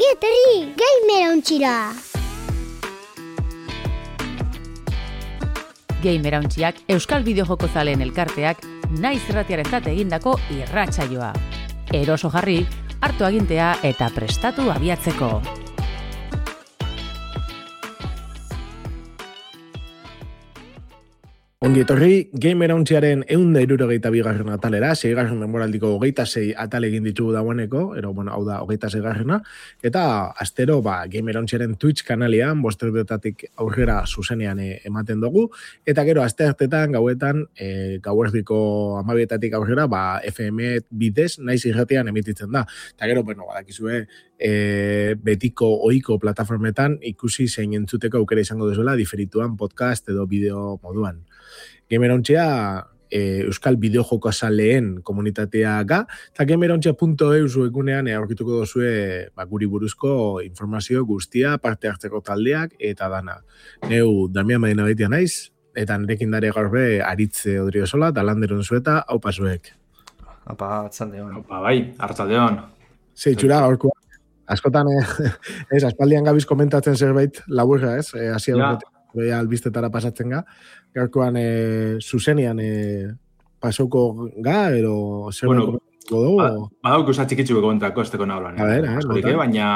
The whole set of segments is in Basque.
Ongi etorri, gamer ontxira! Gamer ontxiak Euskal Bideojoko zaleen elkarteak naiz irratiarentzat egindako irratsaioa. Eroso jarri, hartu agintea eta prestatu abiatzeko. Ongi etorri, Gamer ontziaren 172. atalera, 6. denboraldiko 26 atal egin ditugu dagoeneko, hau da 26. Eta astero, Gamer ontziaren Twitch kanalian, 5:00 aurrera zuzenean ematen dugu, eta gero asteartetan, gauetan, gauerdiko 12:00 aurrera, FM bidez, naiz irratian emititzen da. Eta gero, badakizue, betiko ohiko plataformetan ikusi zein entzuteko aukera izango duzuela, diferituan podcast edo bideo moduan. Gamer ontzia Euskal Bideojoko zaleen komunitatea ga, eta gamerontzia.eu egunean aurkituko duzue guri buruzko informazio guztia, parte hartzeko taldeak eta dana. Neu Damian Madina baitia naiz, eta nirekin dare gaurbe Aritze Odriozola, eta landeron zueta, haupa zuek. Haupa, atzaldeon. Haupa, bai, hartzaldeon. Zeitzura, gaurkoa. Askotan, aspaldian gabiz komentatzen zerbait laburra, Asia betea albistetara pasatzen ga. Gaurkoan zuzenean pasoko ga, ero zerbait komentatuko dugu? Badauk usa txikitxuko komentako esteko nablan. Baina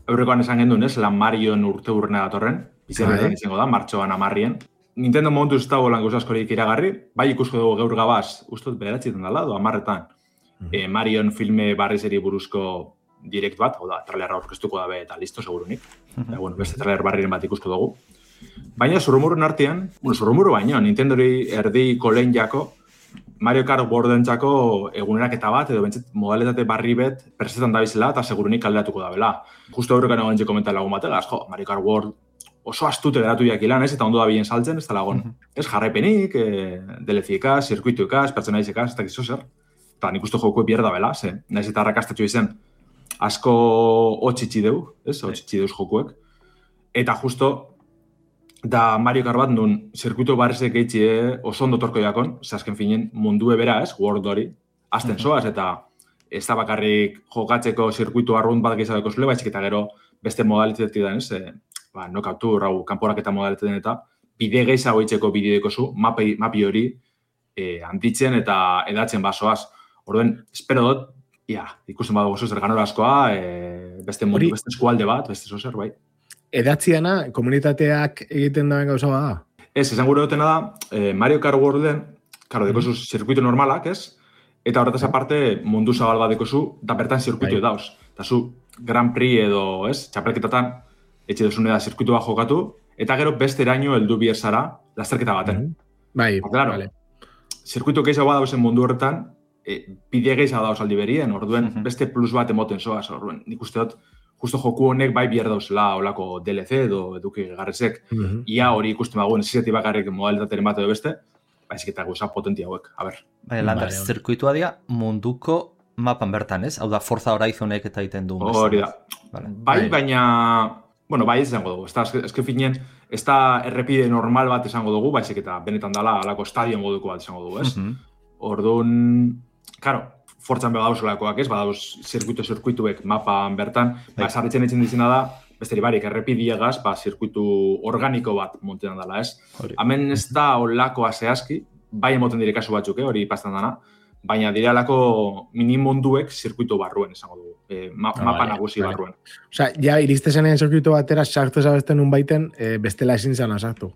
aurrekoan esan gendun, lan Marion urte urrena datorren, izan izango da, martxoan 10. Nintendo momentu ez dago lan askorik iragarri, bai ikusko dugu gaur gabaz, ustot bederatzitan dala, 10. Marion filme barrizeri buruzko direkt bat, trailerra aurkeztuko dabe eta listo, segurunik. Beste trailer barriren bat ikusko dugu. Baina zurrumurren artean, zurrumurru baino, Nintendori erdiko lehen jako, Mario Kart Worldentzako eguneraketa bat, edo bentsat modalitate barri bet presetan dabizela eta segurunik alderatuko dabela. Justo horrekan egon txeko komentan lagun bategaz, Mario Kart World oso astute geratu jakilan, eta ondo da bien saltzen, ez da lagun. Ez jarraipenik, DLC-ekaz, zirkuituekaz, pertsonaizekaz, ez da gizo zer. Eta nik uste joko bierda bela, nahiz eta arrakastatxo izen, asko otxitxi deu, otxitxi deuz jokuek. Eta justo, da Mario Kart bat nun zirkuito barrizek eitxie oso ondo torko jakon, azken finen mundue bera World hori, azten soaz, eta ez da bakarrik jokatzeko zirkuito arrunt bat gehiago zule, baizik eta gero beste modalitetik den, nokautu, kanporak eta modaliteten eta bide gehiago eitzeko bideo zu, mapi hori handitzen eta edatzen basoaz. Orduen, espero dut, ikusten badugu zer ganora askoa, beste mundu, beste eskualde bat, beste zozer, bai. Edatziana, komunitateak egiten dauen gauza bada? Ez, esan gure dutena da, Mario Kart Worlden, karo, dekozu zirkuito normalak, ez? Eta horretaz aparte, mundu zabal bat dekozu, da bertan zirkuito dauz. Eta zu, Grand Prix edo, ez? Txapelketetan, etxe duzune da zirkuitua jokatu, eta gero beste eraino heldu bierzara lasterketa baten. Bai, vale. Zirkuito gehiago badauzen mundu horretan, bide gehiago dauz aldi berien, orduen beste plus bat emoten zoaz, orduen. Nik uste dut, justo joku honek bai bier dauzela olako DLC edo eduki garrezek. Ia hori ikusten bagoen, zizeti bakarrik modalitateren bat edo beste, baizik eta gauza potentia hauek, a ber. Lander, zirkuitua dia munduko mapan bertan, ez? Hau da, Forza Horizonek eta egiten du. Hori da. Bai, baina, bai ez izango dugu. Ez que finien, ez da errepide normal bat izango dugu, baizik eta benetan dala alako estadio moduko bat izango dugu, ez? Orduan, karo, Forzan bega dauzelakoak ez, badauz zirkuituek mapan bertan, sarritzen etxen dizena da, besteri barik, errepidiegaz, zirkuitu organiko bat montetan dela, ez? Hemen ez da olakoa zehazki, bai emoten dire kasu batzuk, hori pastan dana, baina dire alako minimunduek zirkuitu barruen, esango dugu, mapa nagusi barruen. Osa, ja, iristezenean zirkuitu batera sartu zabesten un baiten, bestela ezin zana sartu.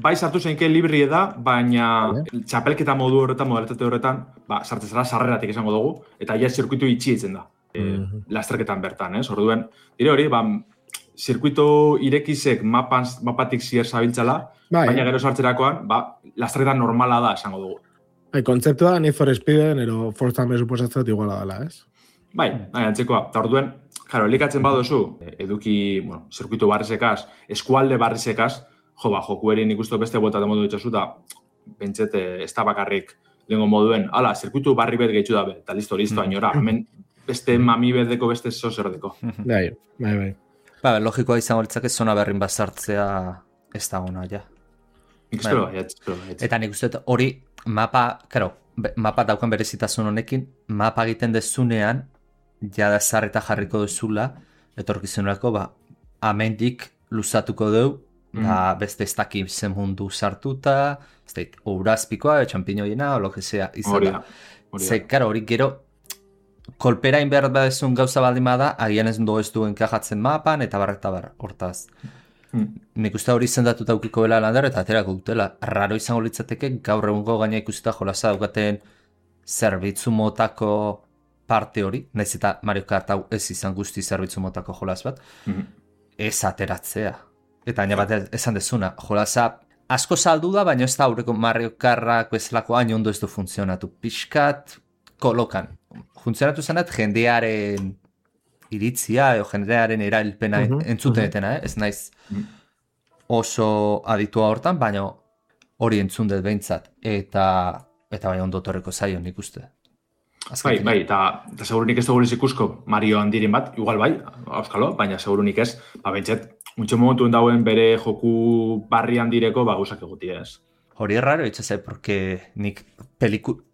Bai sartu zeinke libri da, baina txapelketa modu horretan, modalitate horretan, sartzezara sarreratik esango dugu, eta ja zirkuitu itxietzen da, lasterketan bertan, ez? Orduen, dire hori, zirkuitu irekizek mapatik zier zabiltzala, baina gero sartzerakoan, lasterketan normala da esango dugu. Kontzeptua Need for Speeden, ero Forzan besuposatzat iguala dela, ez? Bai, antzekoa. Eta orduen, jaro, elikatzen baduzu, eduki, zirkuitu barrizekaz, eskualde barrizekaz, joku erin ikustu beste bueltat modu ditzazu, eta pentset ez da bakarrik lehenko moduen, zirkuitu barri bet gehitzu dabe, eta listo, ainora, hemen beste mami bedeko, beste zozerdeko. Bai. Logikoa izango litzake zona berrin bat sartzea ez da ona, ja. Nik espero, Eta nik uste hori mapa daukan berezitasun honekin, mapa egiten dezunean, jada zarreta jarriko duzula, etorkizuneko, amendik luzatuko dugu, beste ez dakit zen mundu sartuta, ez dakit, urazpikoa, txampinoiena, o lo que sea, izan da. Ze, karo, hori gero, kolperain behar badezun gauza baldin bada, agian ez duen kajatzen mapan, eta bar, hortaz. Nik uste hori izendatuta aukiko bela landar, eta aterako dutela. Raro izango litzateke, gaur egungo gaina ikusita jolasa daukaten zerbitzu motako parte hori, nahiz eta Mario Kart hau ez izan guzti zerbitzu motako jolas bat, ez ateratzea. Eta baina bat esan dezuna, jolasa asko saldu da, baina ez da aurreko Mario Karrak bezalako hain ondo ez du funtzionatu. Pixkat kolokan. Funtzionatu zenat jendearen iritzia, jendearen erailpena entzutenetena, ez naiz oso aditua hortan, baina hori entzun dut behintzat. Eta bai ondo torreko zaio nik uste. Bai, eta segurunik ez dugu ikusko Mario handiren bat, igual bai, auskalo, baina segurunik ez, behintzat, muntxo momentuen dauen bere joku barri handireko gauzak egutia ez. Hori erraro itxasai, porque nik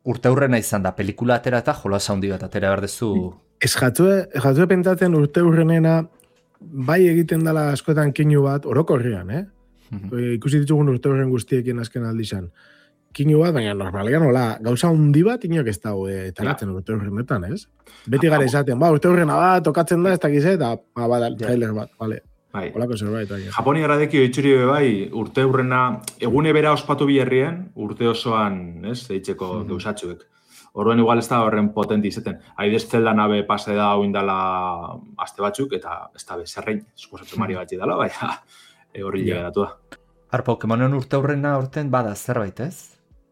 urte hurrena izan da, pelikula atera eta jolas handi bat atera berdezu. Ez jatzue pentsatzen urte hurrenena bai egiten dela askotan kinu bat, orokorrean, ikusi ditugun urte hurren guztiekin azken aldizan. Kinu bat, baina normalean hola, gauza handi bat inok ez dago taratzen urte hurrenetan, ez? Beti gara izaten, urte hurrena bat, tokatzen da, ez dakiz, eta trailer bat, bale. Olako zerbait. Japoni gradekio itxuri bai, urte hurrena, egune bera ospatu biherrien, urte osoan, ez, deitzeko gauzatxuek. Horren igual ez da horren potenti izaten. Haidez Zelda nabe pase da oindala aste batzuk, eta ez da bezerrein, suposatu Mario batzi dela, baina horri llegatu da. Pokemonen urte hurrena horten bada zerbait, ez?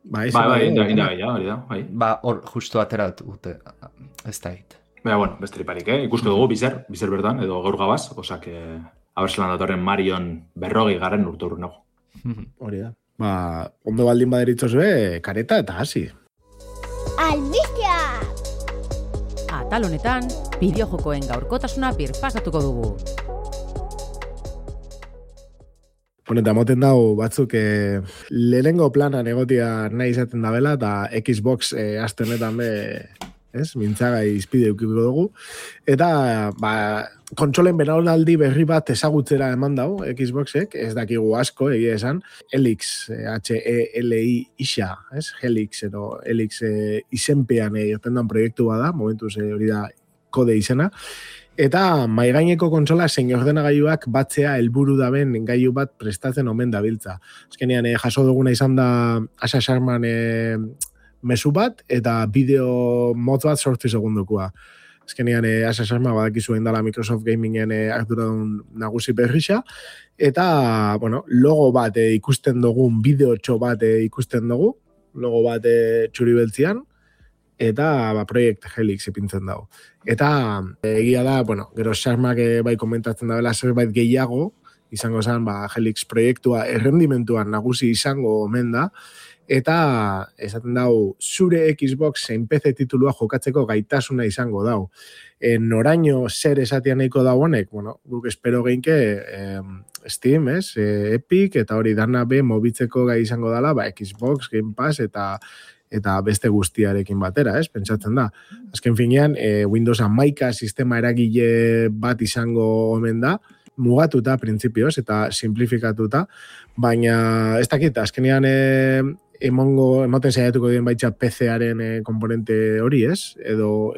Bai, hori da. Hor justu atera dute, ez da hit. Baina, bueno, besteriparik, ikusko dugu bizer bertan, edo gaur gabaz, osak, abertzelan datorren Marion 40 urte hurren nago. Hori da. Ondo baldin baderitzozue, kareta eta hasi. Albistea! Atal honetan, bideojokoen gaurkotasuna birpasatuko dugu. Eta moten dago batzuk lehenengo planan egotia nahi izaten dabela, eta Xbox aste honetan mintzaga izpide eukiko dugu. Eta, kontsolen benaldi berri bat ezagutzera eman dago, Xboxek, ez dakigu asko, egia esan, Helix, H-E-L-I-Ixa, Helix, edo Helix izenpean irtendan proiektu bada, momentuz hori da kode izena, eta maigaineko kontsola zein ordenagailuak batzea helburu daben gailu bat prestatzen omen dabiltza. Azkenean jaso duguna izan da Asa Sharman mezu bat, eta bideo motz bat 8 segundukoa. Azkenean Asa Sharma badakizu dela Microsoft Gamingen arduradun nagusi berrixa, eta logo bat ikusten dugun, bideotxo bat ikusten dugu, logo bat txuri beltzian, eta Project Helix ipintzen dago. Eta egia da, gero Sharmak bai komentatzen dabela zerbait gehiago, izango zen Helix proiektua errendimentuan nagusi izango omen da, eta esaten dago zure Xbox zein PC titulua jokatzeko gaitasuna izango dago. Noraino zer esatia nahiko da honek, guk espero geinke Steam, Epic, eta hori dana mobitzeko gai izango dela, Xbox, Game Pass, eta beste guztiarekin batera, pentsatzen da. Azken finean, Windows 11 sistema eragile bat izango omen da, mugatuta, printzipioz, eta simplifikatuta, baina ez dakit, azkenean emoten saiatuko dien baitza PC-aren komponente hori, edo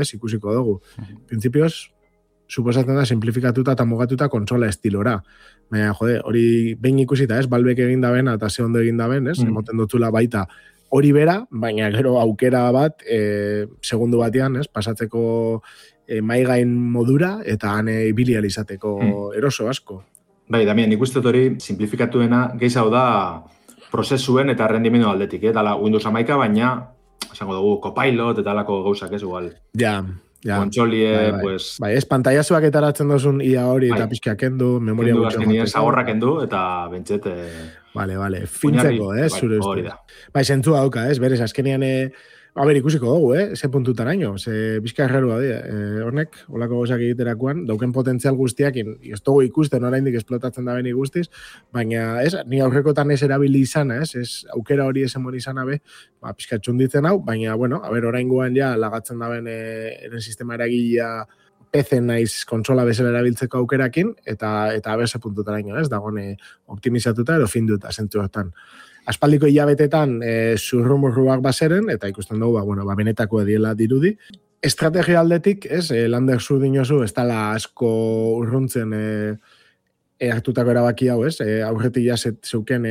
ez, ikusiko dugu. Printzipioz, suposatzen da, simplifikatuta eta mugatuta kontsola estilora. Baina, hori behin ikusita, Valvek egin daben, eta ze ondo egin daben, emoten dutula baita hori bera, baina gero aukera bat, segundu batean, pasatzeko maigain modura, eta han ibilial izateko eroso asko. Bai, Damian, ikusten hori simplifikatuena gehiago da prozesuen eta rendimendu aldetik, dala Windows 11, baina, esango dugu, Copilot eta alako gauzak igual. Ja. Kontsolie, pues... Bai, pantaiazuak etaratzen dozun ia hori eta pixka kendu, memoria gutxo jateko. Zagorra kendu eta bentset... Vale, fintzeko, zure uste. Bai, zentzua dauka, berez, azkenean... ikusiko dugu, ze puntutan haino, ze bizka errarua honek, holako gozak egiterakoan, dauken potentzial guztiak, ez dugu ikusten oraindik esplotatzen da beni guztiz, baina ni aurrekotan ez erabili izan, ez aukera hori esemon izan abe, pixka txunditzen hau, baina, oraingoan ja lagatzen da ben eren sistema eragilea PC naiz kontsola bezala erabiltzeko aukerakin, eta abese puntutaraino, ez, dagoen optimizatuta edo finduta zentzu hortan. Aspaldiko hilabetetan zurrumurruak bazeren, eta ikusten dugu, benetako ediela dirudi. Estrategia aldetik, ez, Lander zu dinozu, ez dala asko urruntzen hartutako erabaki hau, ez, aurretik zeuken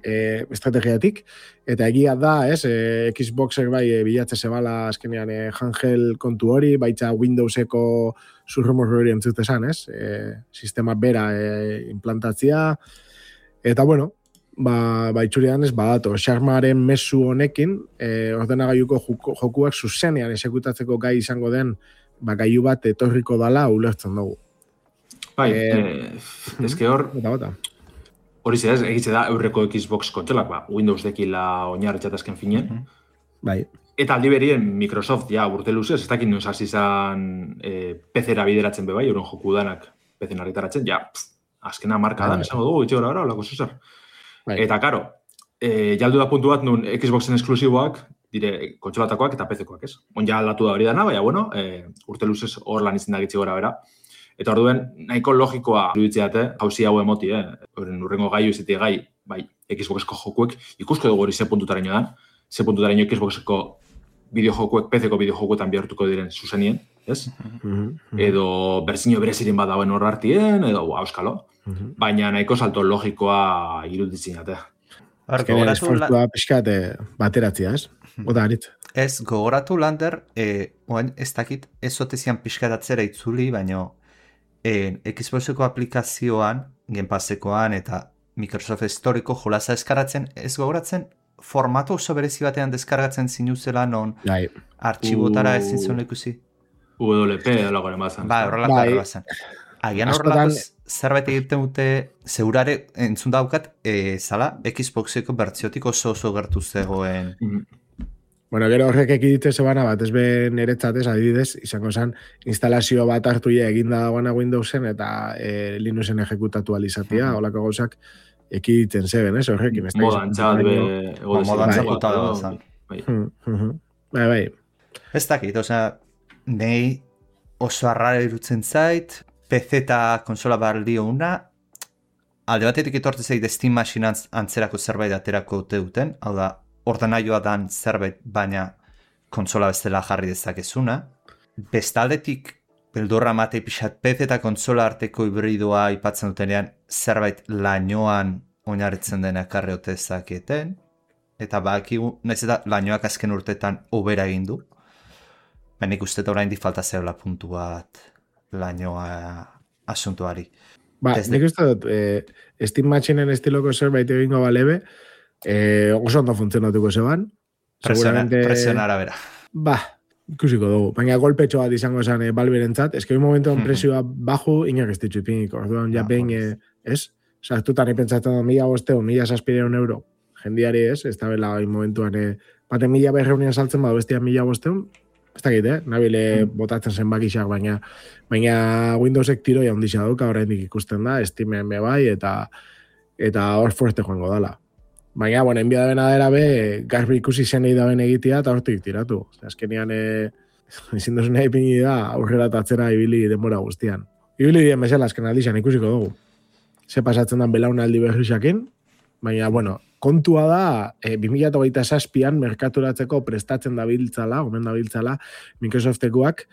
estrategiatik, eta egia da, ez, Xboxek bai bilatze zebala azkenean handheld kontu hori, baitza Windowseko zurrumurru hori entzutezan, ez, sistema bera implantatzia, eta bueno, itxurian ez badato, Xarmaren mezu honekin, ordenagailuko jokuak zuzenean esekutatzeko gai izango den, gailu bat etorriko dala ulertzen dugu. Bai, ezke hor, hori ez, egitze da eurreko Xbox kontsolak, Windows dekila oinarritxatazken finen. Bai. Eta aldi berien Microsoft, urte luzez, ez dakit nuen izan PC-era bideratzen bebai, euren joku danak PC-en argitaratzen, azkena marka dan, esango dugu, itxe gara, olako zuzar. Bai. Eta, karo, jaldu da puntu bat nun Xboxen esklusiboak, dire kontsolatakoak eta PC-koak, ez? Onja aldatu da hori dana, baina, urte luzez hor lan izan da gitzi gora bera. Eta orduen, nahiko logikoa iruditzeate, jauzi hau emoti, urrengo gai izatea gai, bai, Xboxeko jokuek, ikusko dugu hori ze puntutaraino da, ze puntutaraino Xboxeko bideojokuek, PC-ko bideojokuetan bihartuko diren zuzenien, ez? Edo berzino berezirin bat dauen hor hartien, edo auskalo. Baina nahiko salto logikoa iruditzen jate. Azkenean esfortua pixkat bateratzea, ez? Ota harit. Ez, gogoratu Lander, oain ez dakit ez otezian pixkat atzera itzuli, baina Xboxeko aplikazioan, Game Passekoan eta Microsoft Storeko jolasa eskaratzen, ez gogoratzen, formatu oso berezi batean deskargatzen zinuzela non artxibotara ezin zuen ikusi. WP edo goren bazan. Horrelako bazan. Agian horrelako zerbait egiten dute, zeurare entzun daukat, zala Xboxeko bertziotik oso gertu zegoen. Bueno, gero horrek ekidite zebana bat, ez ben niretzatez, adibidez, izango zen, instalazio bat hartu eginda dagoena Windowsen eta Linuxen ejekutatu alizatia, holako gauzak ekiditen zeben, ez? Horrekin. Modan txat, modan txakutatu da. Bai. Ez dakit, nahi oso arrara irutzen zait, PC eta konsola baldio una, alde batetik etorte zeit Steam Machine antzerako zerbait aterako duten, hau da, ordenaioa dan zerbait, baina konsola bestela jarri dezakezuna. Bestaldetik, beldurra matei pixat PC eta konsola arteko hibridoa ipatzen dutenean, zerbait lainoan oinarritzen dena ekarri ote dezaketen, eta bakigu, nahiz eta lainoak azken urtetan obera egin du, baina ikusten oraindik falta zeula puntu bat lainoa asuntuari. Nik uste dut, Steam Machineen estiloko zerbait egingo balebe, oso ondo funtzionatuko zeban. Presionar abera. Ikusiko dugu. Baina golpetxo bat izango zen balberentzat. Ez que un momentuan presioa baju, inak ez ditzu ipiniko. Orduan, behin, ez? Sartutan ipentzatzen 1.500, 1.600 euro. Jendiari ez da bela momentuan, baten 1.500 saltzen badu bestia 1.500, ez dakit, nabile botatzen zen bakixak, baina Windowsek tiroia ondisa dauka, oraindik ikusten da, Steamen bai, eta hor fuerte joango dala. Baina, enbia da bena dera garbi ikusi zenei da ben egitea, eta hortik tiratu. Azkenean, ezin duzun nahi pini da, aurrera tatzera ibili denbora guztian. Ibili dien bezala, azken aldizan ikusiko dugu. Ze pasatzen dan belaunaldi berrisakin, baina, kontua da, 2027an merkaturatzeko prestatzen dabiltzala, omen dabiltzala, Microsoftekuak,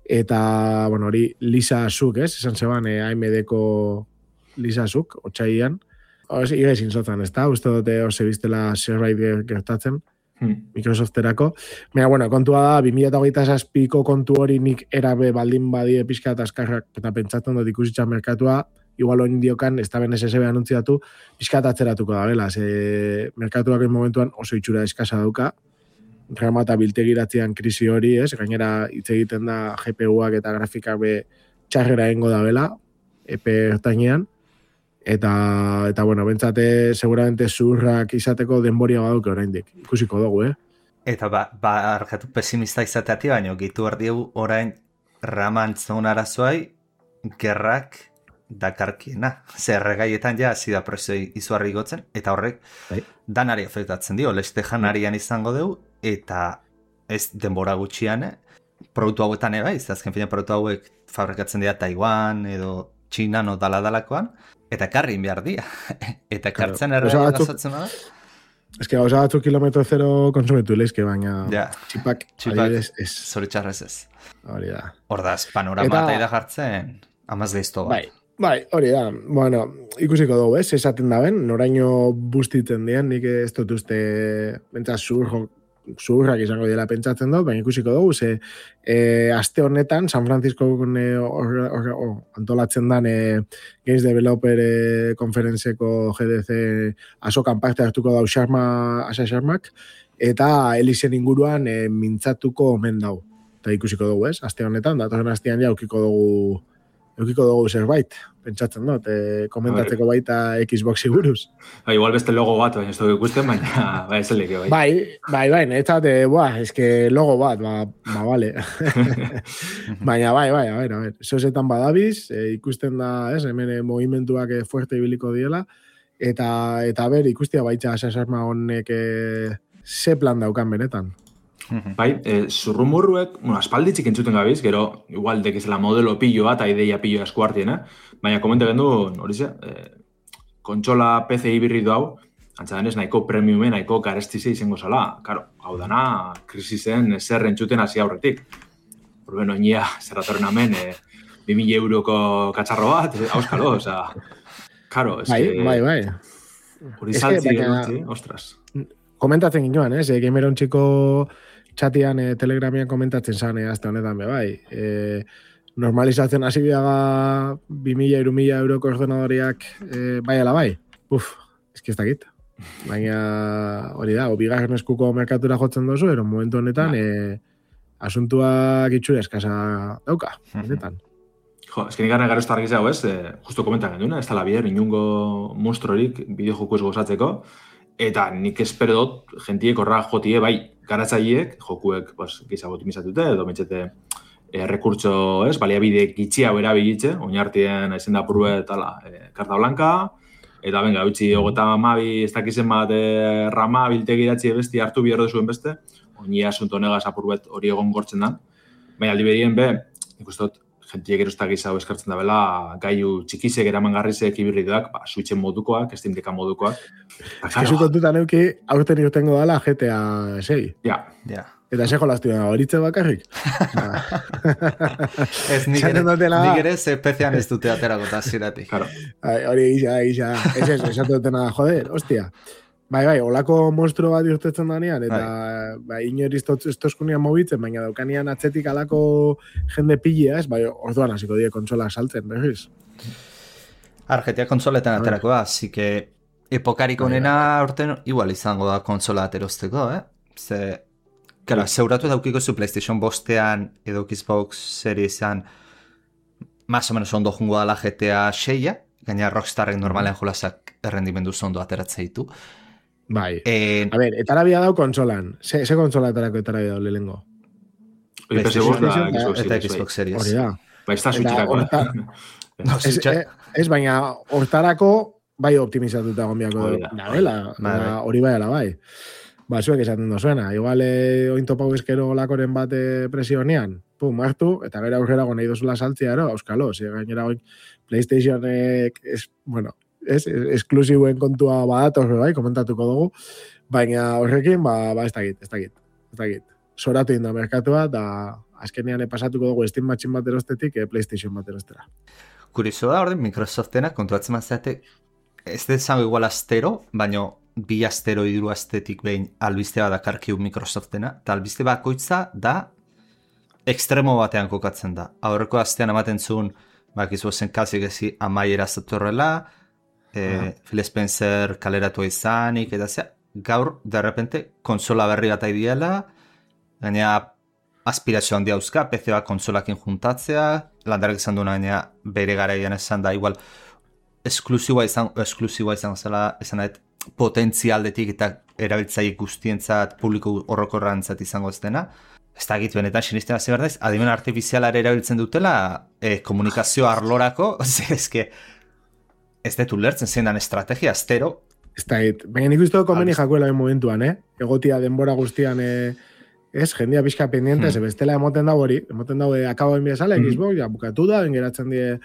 eta, hori Lisa Suk, esan zeban AMD-ko Lisa Suk, otxaian, igezin zotan, ez da, uste dute hor biztela zerbait gertatzen, Microsofterako. Baina, kontua da, 2027ko kontu hori nik erabe baldin badie pixka eta azkarrak, eta pentsatzen dut ikusitza merkatua, igual oin diokan, ez da ben SSB anuntziatu, pixkat atzeratuko da, bela, merkatuak momentuan oso itxura eskasa dauka, rama eta biltegiratzean krisi hori, gainera hitz egiten da GPU-ak eta grafikak txarrera egingo da, bela, epe ertainean, eta bentsate, seguramente zurrak izateko denboria baduke oraindik, ikusiko dugu, Eta argatu pesimista izateati, baina gitu ardiegu orain raman zaun arazoai, gerrak dakarkiena. Zerregaietan hasi da presoi izuarri gotzen, eta horrek danari afektatzen dio, leste janarian izango dugu, eta ez denbora gutxian, produktu hauetan bai, azken fina produktu hauek fabrikatzen dira Taiwan edo China no dala-dalakoan, eta karrin behar dira. Eta kartzen errea gazatzen da? Ez que gauza batzuk kilometro zero konsumitu leizke, baina txipak zoritxarrez ez. Hori da. Hor da, panorama eta ida jartzen, amaz deizto bat. Bai, hori da. Bueno, ikusiko dugu, esaten da ben, noraino bustitzen dien, nik ez dut uste, bentsaz zuhurrak izango dela pentsatzen dut, baina ikusiko dugu, aste honetan, San Francisco antolatzen dan Games Developer konferentzeko GDC asokan parte hartuko dau Asa Sharmak, eta Elisen inguruan mintzatuko omen dau. Eta ikusiko dugu, aste honetan, datoren astean ja eukiko dugu zerbait, pentsatzen dut, komentatzeko baita Xboxi buruz. Igual beste logo bat, baina ez dugu ikusten, baina ez elike bai. Bai, netzat, eske logo bat, vale. Baina bai, a ver, zozetan badabiz, ikusten da, hemen movimentuak fuerte ibiliko diela, eta ber, ikustia baitza asasarma honek ze plan daukan benetan. Bai, zurrumurruek, aspalditzik entzuten gabiz, gero, igual dekezela modelo pilloa eta ideia pilloa eskuartien, baina komente gendu, hori ze, kontsola PC hibrido hau, antzadenez nahiko premiumen, nahiko garestize izango zala. Karo, hau dana, krisisen zer entzuten hasi aurretik. Horben, oinia, zerratorren amen, 2.000 euroko katxarro bat, auskalo, oza, karo, ez que... Bai. Hori saltzi, ostras. Komentatzen ginoan, Gameron txiko txatian Telegramian komentatzen zan, azte honetan bai. Normalizatzen hasi biaga 2.000-3.000 euroko ordenadoriak bai ala bai. Ez dakit. Baina hori da, bigarren eskuko merkatura jotzen dozu, ero momentu honetan asuntuak itxura eskasa dauka. Honetan. Jo, ez que nigarren garo estarrak izango justo komentan genduna, ez tala bider, inungo monstruorik bideojoko ez gozatzeko, eta nik espero dut, gentiek horra jotie, bai, garatzaileek, jokuek, gizago optimizatute, edo metxete rekurtso, baliabide gitxia bera bilitze, oinartien aizen da purbe karta blanka, eta venga, utzi, ogeta mabi, ez dakizen bat, rama, biltegi idatzi besti, hartu biherro zuen beste, oinia asunto negaz apurbet hori egon gortzen dan, baina aldi berien ikustot, gentiek erostak izau eskartzen da bela, gaiu txikizek eramangarrizek ibirridoak, switchen modukoak, Steam Decka modukoak. Ezu kontutan euki, aurten irtengo dala GTA 6. Ja. Eta seko laztu da, horitze bakarrik. Ez nik ere zepezian ez dute aterako eta ziratik. Hori gisa. Ez esatu dutena, joder, hostia. Bai, olako monstruo bat irtetzen danean, eta inori estoskunean mobitzen, baina daukanian atzetik alako jende pilea, orduan hasiko die kontsolak saltzen, berriz. GTA kontsoletan aterako da, así que epokarik onena orten igual izango da kontsola aterosteko, Zeuratu daukiko zu PlayStation bostean edo Xbox Seriesan más o menos ondo jungo dala GTA 6-a, gaina Rockstarrek normalean jolasak errendimendu zondo ateratzea ditu. Bai. A ver, etarabia dau konsolan. Ze konsola etarako etarabia dau lehengo? Eta Xbox Series. Hori da. Bai, ez da switcherako. Ez, baina hortarako bai optimizatuta gombiako dabela. Hori bai ala bai. Zuek esaten dozuena. Igual ointopau eskero lakoren bat presionean. Pum, hartu, eta gara aurrera nahi dozula saltzea, auskalo. Gainera PlayStationek, esklusiboen kontua badator, komentatuko dugu, baina horrekin, ez dakit. Zoratu inda merkatua, da azkenean pasatuko dugu Steam Machine bat erostetik, PlayStation bat erostera. Kurizo da, orden, Microsoftena, kontuatzen mazate, ez dezango igual astero, baina bi astero iduru astetik behin albiste bat dakarkiu Microsoftena, eta albiste bakoitza da ekstremo batean kokatzen da. Aurreko astean amaten zuen, bakizu zen kasik ezi amaiera zatorrela, Phil Spencer kaleratua izanik, eta gaur, derrepente, konsola berri bat aidiela, gaina aspirazio handia dauzka, PC bat konsolakin juntatzea, landarek izan duena gaina bere garaian esan da, igual, esklusiboa izan zela, esan dut, potentzialdetik eta erabiltzaile guztientzat, publiko horrokorrantzat izango ez dena. Ez da gitu, benetan sinisten hasi berdaiz, adimen artifizialare erabiltzen dutela, komunikazio arlorako, ez dut ulertzen zein dan estrategia, astero. Ez da, baina nik uste komeni jakuela momentuan, egotia denbora guztian ez, jendia pixka pendiente, ze bestela emoten dago hori, emoten dago akabo enbia sale, Xbox, ja, bukatu da, geratzen die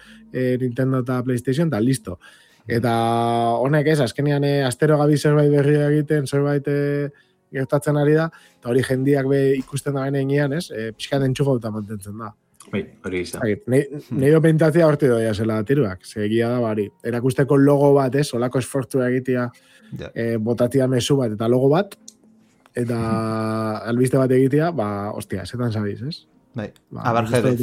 Nintendo eta PlayStation, eta listo. Eta honek ez, azkenean astero gabi zerbait berria egiten, zerbait gertatzen ari da, eta hori jendiak ikusten da benean, ez, pixka entxufa eta mantentzen da. Bai, hori izan. Nire pentsatzea horti doia zela tiruak, segia da bari. Erakusteko logo bat, ez, olako esfortzua egitea, botatia mezu bat, eta logo bat, eta albiste bat egitea, ostia, zetan sabiz, ez? Bai, abarjedez.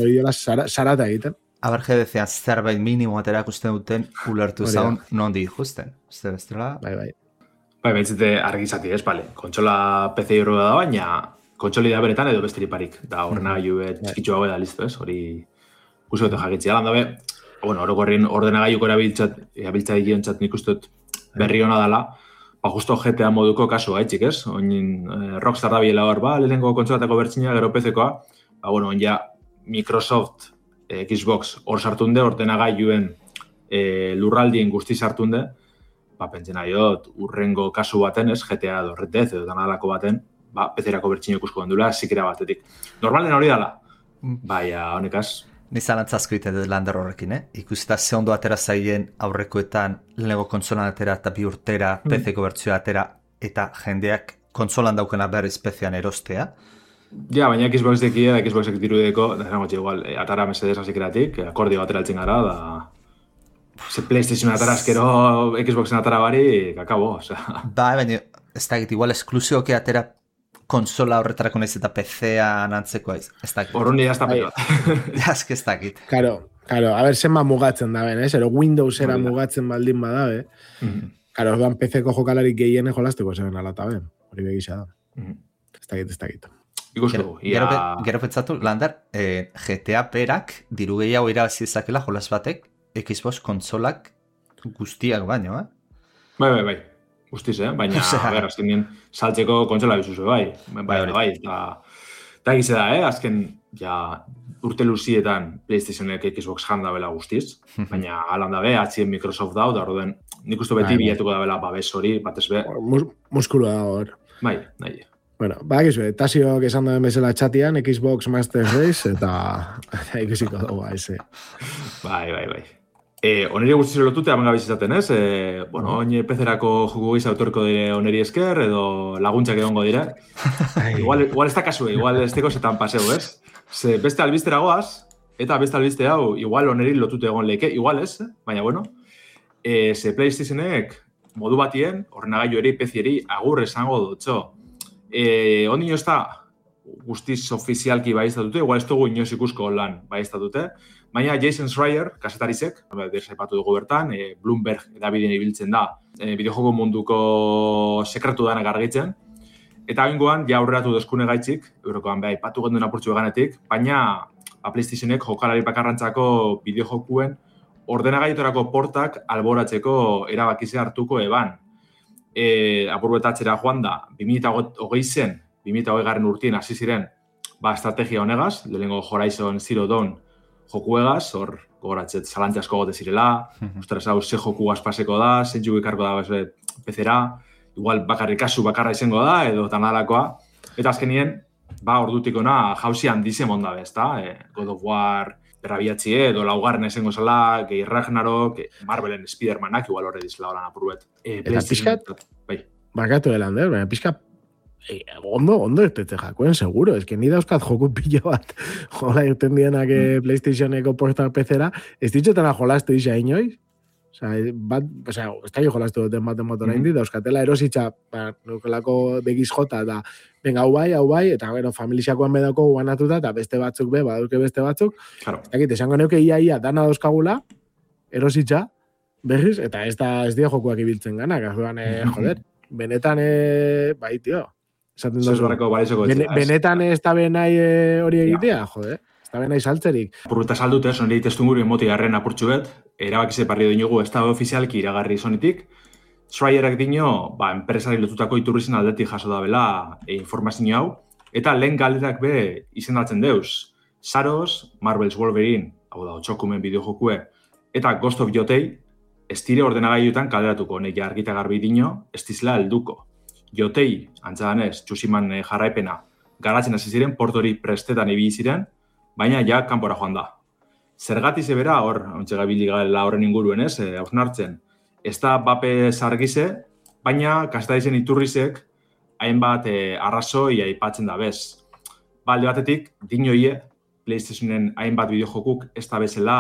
Sarata egiten. Abarjedezean zerbait minimo aterakusten duten ulertu zaun nondi ikusten. Uste bestela? Bai. Bai, behitzete argizati, ez, bale. Kontsola PC hori da, baina kontsoli da beretan edo besteriparik. Da horrena gaiu txikitzu hau da, listo, ez? Hori guzti jakitzea. Lan dabe, orokorrin ordenagailuko erabiltza digiontzat nik uste berri hona dela, justo GTA moduko kasua, txik, ez? Oin Rockstar da biela hor, lehenengo kontsolatako bertzina, gero PC-koa, ja Microsoft Xbox hor sartunde, ordenagailuen lurraldien guzti sartunde, pentsen aiot, urrengo kasu baten, ez, GTA edo Red Dead edo danalako baten, PC-erako bertxino ikusko dendula, zikera batetik. Normalen hori dala, honekaz. Nizan antzazko ite dut Lander horrekin, Ikusita ze ondo atera zaien aurrekoetan lehenengo kontsolan atera eta bi urtera PC-ko bertzioa atera eta jendeak kontsolan daukena berriz PC-an erostea. Ja, baina Xbox dekia, Xboxek dirudeko, igual, atara Mercedes azikeratik, akordio batera altzen gara, ze PlayStation atara azkero Xboxen atara bari, kakabo, osea. Baina, ez da egit, igual esklusioke atera konsola horretarako nahiz eta PC-an antzeko aiz, ez da egit. Horrun nire ez da pelot. Jazk ez da egit. Karo, a ber, zenba mugatzen da ben, ero Windowsera mugatzen baldin badabe. Karo, orduan PC-ko jokalari gehiene jolasteko zeben alata ben, hori begisa da. Ez da egit. Gero pentsatu, Lander, GTA perak diru gehiago irabazi dezakela jolas batek Xbox konsolak guztiak baino, Bai. Guztiz, baina, azken saltzeko kontsola bizuzu, bai. Eta egize da, azken, urte luzietan PlayStationek Xbox janda bela guztiz, baina alan dabe, atxien Microsoft dau, da horren nik uste beti bilatuko da bela babes hori, batez be. Muskulu da hor. Bai. Bueno, Tasiok esan duen bezala txatian, Xbox Master Race, eta ikusiko dugu, haize. Bai. Oneri guztizu lotute, hamen gabiz izaten, ez? Oin PC-erako joko giza autorko dire oneri esker, edo laguntzak egongo dire. Igual ez da kasue, igual ez teko zetan paseu, ez? Ze beste albistera goaz, eta beste albiste hau, igual oneri lotute egon leke, igual ez, baina bueno. Ze PlayStationek modu batien, ordenagailu eri, PC-eri, agur esango dutxo. Ondino ez da guztiz ofizialki baiztatute, igual ez dugu inoz ikusko lan baiztatute, baina Jason Schreier, kasetarizek, desaipatu dugu bertan, Bloomberg edabideen ibiltzen da, bideojoko munduko sekretu danak argitzen, eta bengoan, aurreratu dozkune gaitzik, eurokoan behar ipatu genduen apurtzu eganetik, baina PlayStationek jokalari bakarrantzako bideojokuen ordenagailuetarako portak alboratzeko erabakizea hartuko eban. Apurbetatxera joan da, 2020 urtien hasi ziren estrategia honegaz, lehenengo Horizon Zero Dawn jokuegaz, hor gogoratzet zalantza asko gote zirela, ostras hau ze joku aspaseko da, zentxuk ikarko da PC-era, igual kasu bakarra izango da, edo tanalakoa, eta azkenien, ordutik ona jauzi handizen ondabe, ezta? God of War, berrabiatxie, edo laugarren esengo zela, gehi Ragnarok, Marvelen Spider-Manak, igual horre dizela horan apurbet. Eta pixkat, bakatu delander, baina pixkat, ondo ertetze jakoen, seguro, ez que ni dauzkat joku pila bat, jola irten dienak PlayStationeko porta PC-era, ez ditxetena jolastu isa inoiz, ez da jo jolastu duten baten motora indi, dauzkatela erositza, nukelako begiz jota, eta venga, hau bai, eta familixakoan bedako guanatuta, eta beste batzuk badauke beste batzuk, esango neuke ia dana dauzkagula, erositza, berriz, eta ez dira jokuak ibiltzen ganak, joder, benetan, bai, tio, benetan ez da benai hori egitea, joder, ez da benai saltzerik. Apurruta saldute, soneri testunguru emoti garren apurtxu bet, erabakize parri dinugu ez da ofizialki iragarri zonetik, Schreierak dino, enpresari lotutako iturrizin aldetik jaso da bela informazio hau, eta lehen galderak be izendatzen deuz. Saros, Marvel's Wolverine, hau da, otxokumen bideojokue, eta Ghost of Yotei, ez dire ordenagailuetan kalderatuko, neki argita garbi dino, ez dizela helduko. Yotei, antzadanez, Tsusiman jarraipena, garatzen hasi ziren, portori prestetan ibili ziren, baina ja kanpora joan da. Zergatik zebera, hor, ontsa gabili gala horren inguruen, hausnartzen, ez da bape zargize, baina kastadizen iturrizek hainbat arrazoi aipatzen da bez. Alde batetik, dinoie, PlayStationen hainbat bideojokuk ez da bezala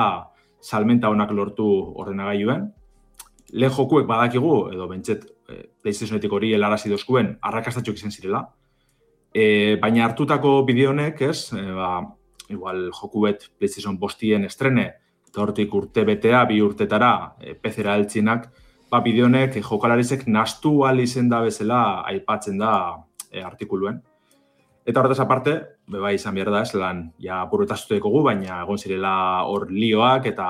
salmenta honak lortu ordenagailuen. Lehen jokuek badakigu, edo bentset PlayStationetik hori helarazi dozkuen, arrakastatxok izan zirela. Baina hartutako bideo honek, igual jokuet PlayStation 5 estrene, eta hortik urte betea, 2 urtetara, PC-era heltzinak, bideo honek jokalarizek nastu izen da bezala aipatzen da artikuluen. Eta horretaz aparte, bai izan behar da, lan, ja burretaztueko gu, baina egon zirela hor lioak eta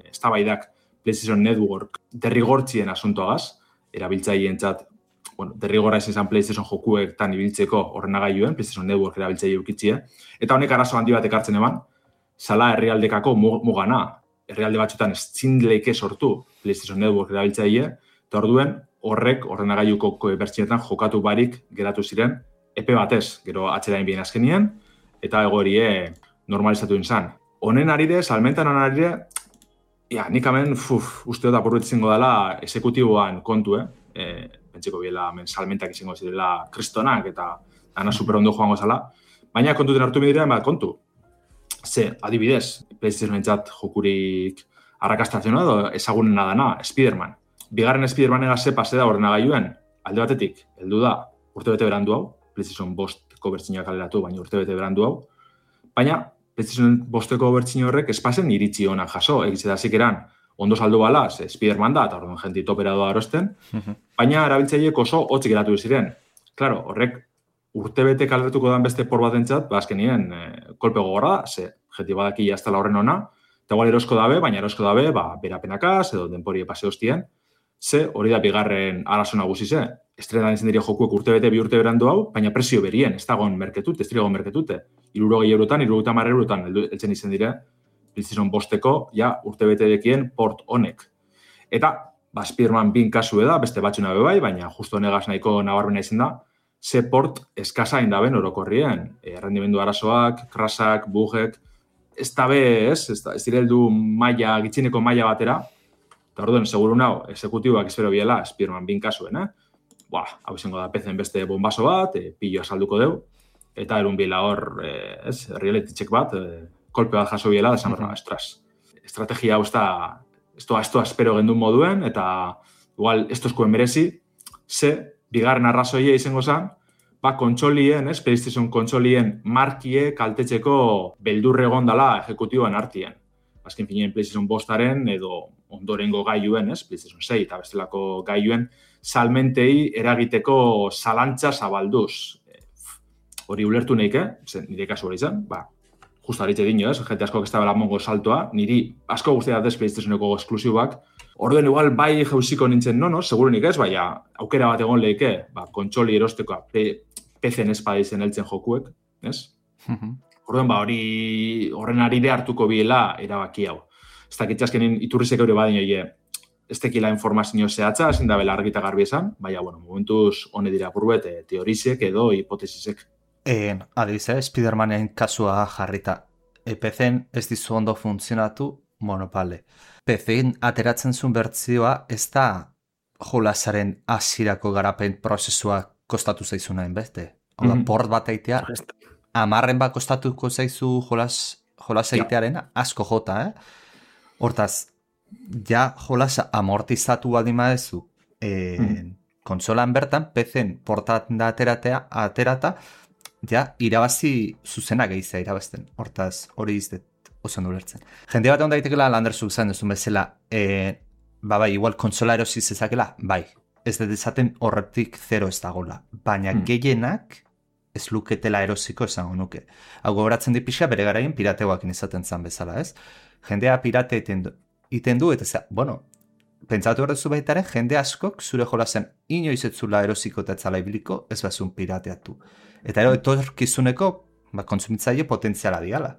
eztabaidak PlayStation Network derrigortzien asuntoagaz, erabiltzaientzat, derrigorra izan PlayStation jokuetan ibiltzeko ordenagailuen, PlayStation Network erabiltzaile ukitzie, eta honek arazo handi bat ekartzen eman, zala herrialdekako mugana, herrialde batzutan ez zindleike sortu PlayStation Network erabiltzaile, eta orduen horrek ordenagailuko bertsionetan jokatu barik geratu ziren, epe batez, gero atzerain bien azkenien, eta egoerie normalizatu izan. Honen arire, salmentan honen arire, nik hemen, uste dut apurret izango dela esekutiboan kontu, pentsiko biela salmentak izango zirela kristonak eta ana superondo joango zala, baina kontuten hartu bidirean kontu. Ze, adibidez, PlayStation-entzat jokurik arrakastatzen edo ezagunena dana, Spider-Man. Bigarren Spider-Man ze pase da ordenagailuen, alde batetik, heldu da, urtebete berandu hau, PlayStation 5ko bertsinak kaleratu, baina urtebete berandu hau, baina PlayStation 5ko bertsio horrek espazen iritzi onak jaso, egitzedazik eran, ondo saldu bala, Spider-Man da, eta orduan jenti topera doa arosten, baina erabiltzaileek oso hotzik geratu ziren. Claro, horrek urtebete kaleratuko dan beste por bat entzat, azkenien kolpe gogorra da, ze jenti badaki jaztala horren ona, eta igual erosko dabe, baina erosko dabe, berapenakaz, edo denpori pase hostien, ze hori da bigarren arazo nagusi ze. Estrenan izan dira jokuek urtebete 2 urte berandu hau, baina presio berien, ez dagoen merketute, ez dagoen merketute. 60 eurotan, 70 eurotan heltzen izan dira, PlayStation 5ko, ja, urtebete dekien port honek. Eta, Spider-Man 2 kasu da, beste batxuna bai, baina justo honegaz nahiko nabarmena izan da, ze port eskasa indaben orokorrien. Errendimendu arazoak, krasak, bugek, ez dabe, ez direldu maila, gitzineko maila batera, eta orduen, seguru nao, exekutiboak espero biela, Spider-Man 2 kasuen, hau izango da PC-en beste bombazo bat, pillo asalduko deu, eta erun bila hor, reality check bat, kolpe bat jaso biela, desan berna, estrategia hau ez da espero gendun moduen, eta igual, ez tozkoen merezi, ze, bigarren arrazoia izango zen, kontsolien, PlayStation kontsolien markie kaltetzeko beldurre gondala ejecutiboan artien. Azken finean PlayStation 5-aren edo ondorengo gailuen, PlayStation 6 eta bestelako gailuen, salmentei eragiteko zalantza zabalduz. Hori ulertu nahik, nire kasu hori zen, justa haritze dino, jente asko ez da bela mongo saltoa, niri asko guztia datez PlayStationeko esklusibak, orduen igual bai jauziko nintzen segurunik ez, aukera bat egon lehike, kontsoli erostekoa, PC-en espada izen heltzen jokuek, ez? Orduen horren arire hartuko biela erabaki hau. Ez dakit azkenin iturrizek hori badin oie, ez tekila informazio zehatza, ezin da bela argita garbi esan, momentuz hone dira burbet, teorizek edo hipotesisek. Adibize, Spider-Manen kasua jarrita. PC-en ez dizu ondo funtzionatu, monopale. PC-en ateratzen zuen bertzioa ez da jolasaren hasierako garapen prozesua kostatu zaizunaen beste. Oda, port bat eitea, 10 bat kostatuko zaizu jolas eitearen asko jota, Hortaz, ja jolasa amortizatu baldin badezu konsolan bertan, PC-en portatzen da aterata, ja, irabazi zuzena gehizea irabazten. Hortaz, hori izdet oso nulertzen. Jende bat egon daitekela, Landerzuk zain duzun bezala, igual konsola erosi zezakela, ez dut esaten horretik 0 ez dagoela. Baina gehienak ez luketela erosiko esango nuke. Hau gogoratzen dipixa bere garaien pirateoakin izaten zan bezala, ez? Jendea pirate iten du, eta pentsatu horrezu baitaren, jende askok zure jolazen inoiz etzula erosiko eta etzala ibiliko, ez bazun pirateatu. Eta etorkizuneko kontsumitzaile potentziala diala.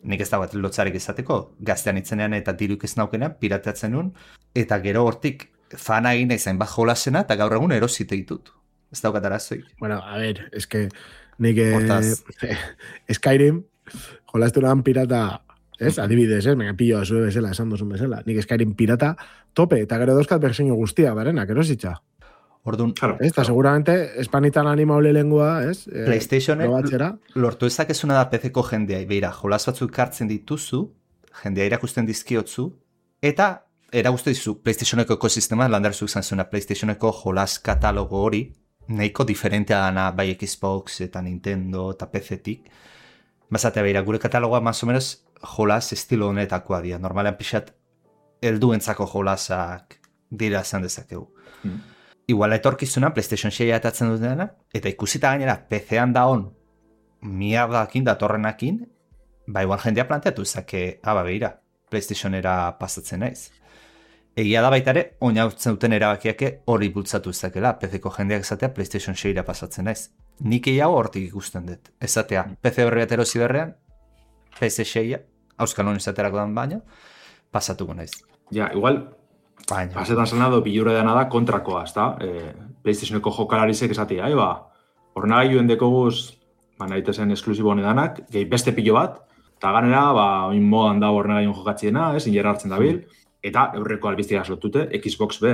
Nik ez da bat lotzarik izateko, gaztean itzenean eta diruk ez naukenean pirateatzen nun, eta gero hortik fana egin izan bat jolasena eta gaur egun erosite ditut. Ez daukat arazoik. Bueno, a ver, es que Nik Skyrim, jolastu nahan pirata, adibidez, venga, pilloa zue bezala, esan duzun bezala. Nik Skyrim pirata tope, eta gero dauzkat berseño guztia, barenak, erositza. Orduan, eta seguramente espanitan animaule lengua, PlayStationek lortu ezakezuna da PC-ko jendea, beira, jolas batzuk kartzen dituzu, jendea irakusten dizkiotzu, eta erakusten dizu PlayStationeko ekosistema, landarzuk zantzuna PlayStationeko jolas katalogo hori, nahiko diferentea dana bai Xbox eta Nintendo eta PC-tik. Bazatea beira, gure katalogoa más o menos jolas estilo honetakoa dira. Normalean pixat helduentzako jolasak dira esan dezakegu. Igual etorkizuna PlayStation 6 atatzen dutena, eta ikusita gainera PC-an da on mierdakin datorrenakin, igual jendea planteatu ezake, beira, PlayStationera pasatzen naiz. Egia da baita ere, oinautzen duten erabakiake hori bultzatu ezakela, PC-ko jendeak esatea PlayStation 6 pasatzen naiz. Nik egiago hortik ikusten dut. Ezatea, PC horri erosi berrean, PS6, auskalon izaterako dan baina, pasatuko naiz. Ja, igual, pasetan zanado, bilurre dena da kontrakoa, ezta? PlayStationeko jokalarizek esatea, hornagailuen dekoguz, nahitezen esklusibo honedanak, gehi beste pilo bat, eta ganera, oin modan da hornagailuen jokatziena, injerra hartzen dabil, eta eurreko albiztiak aslotute, Xbox B,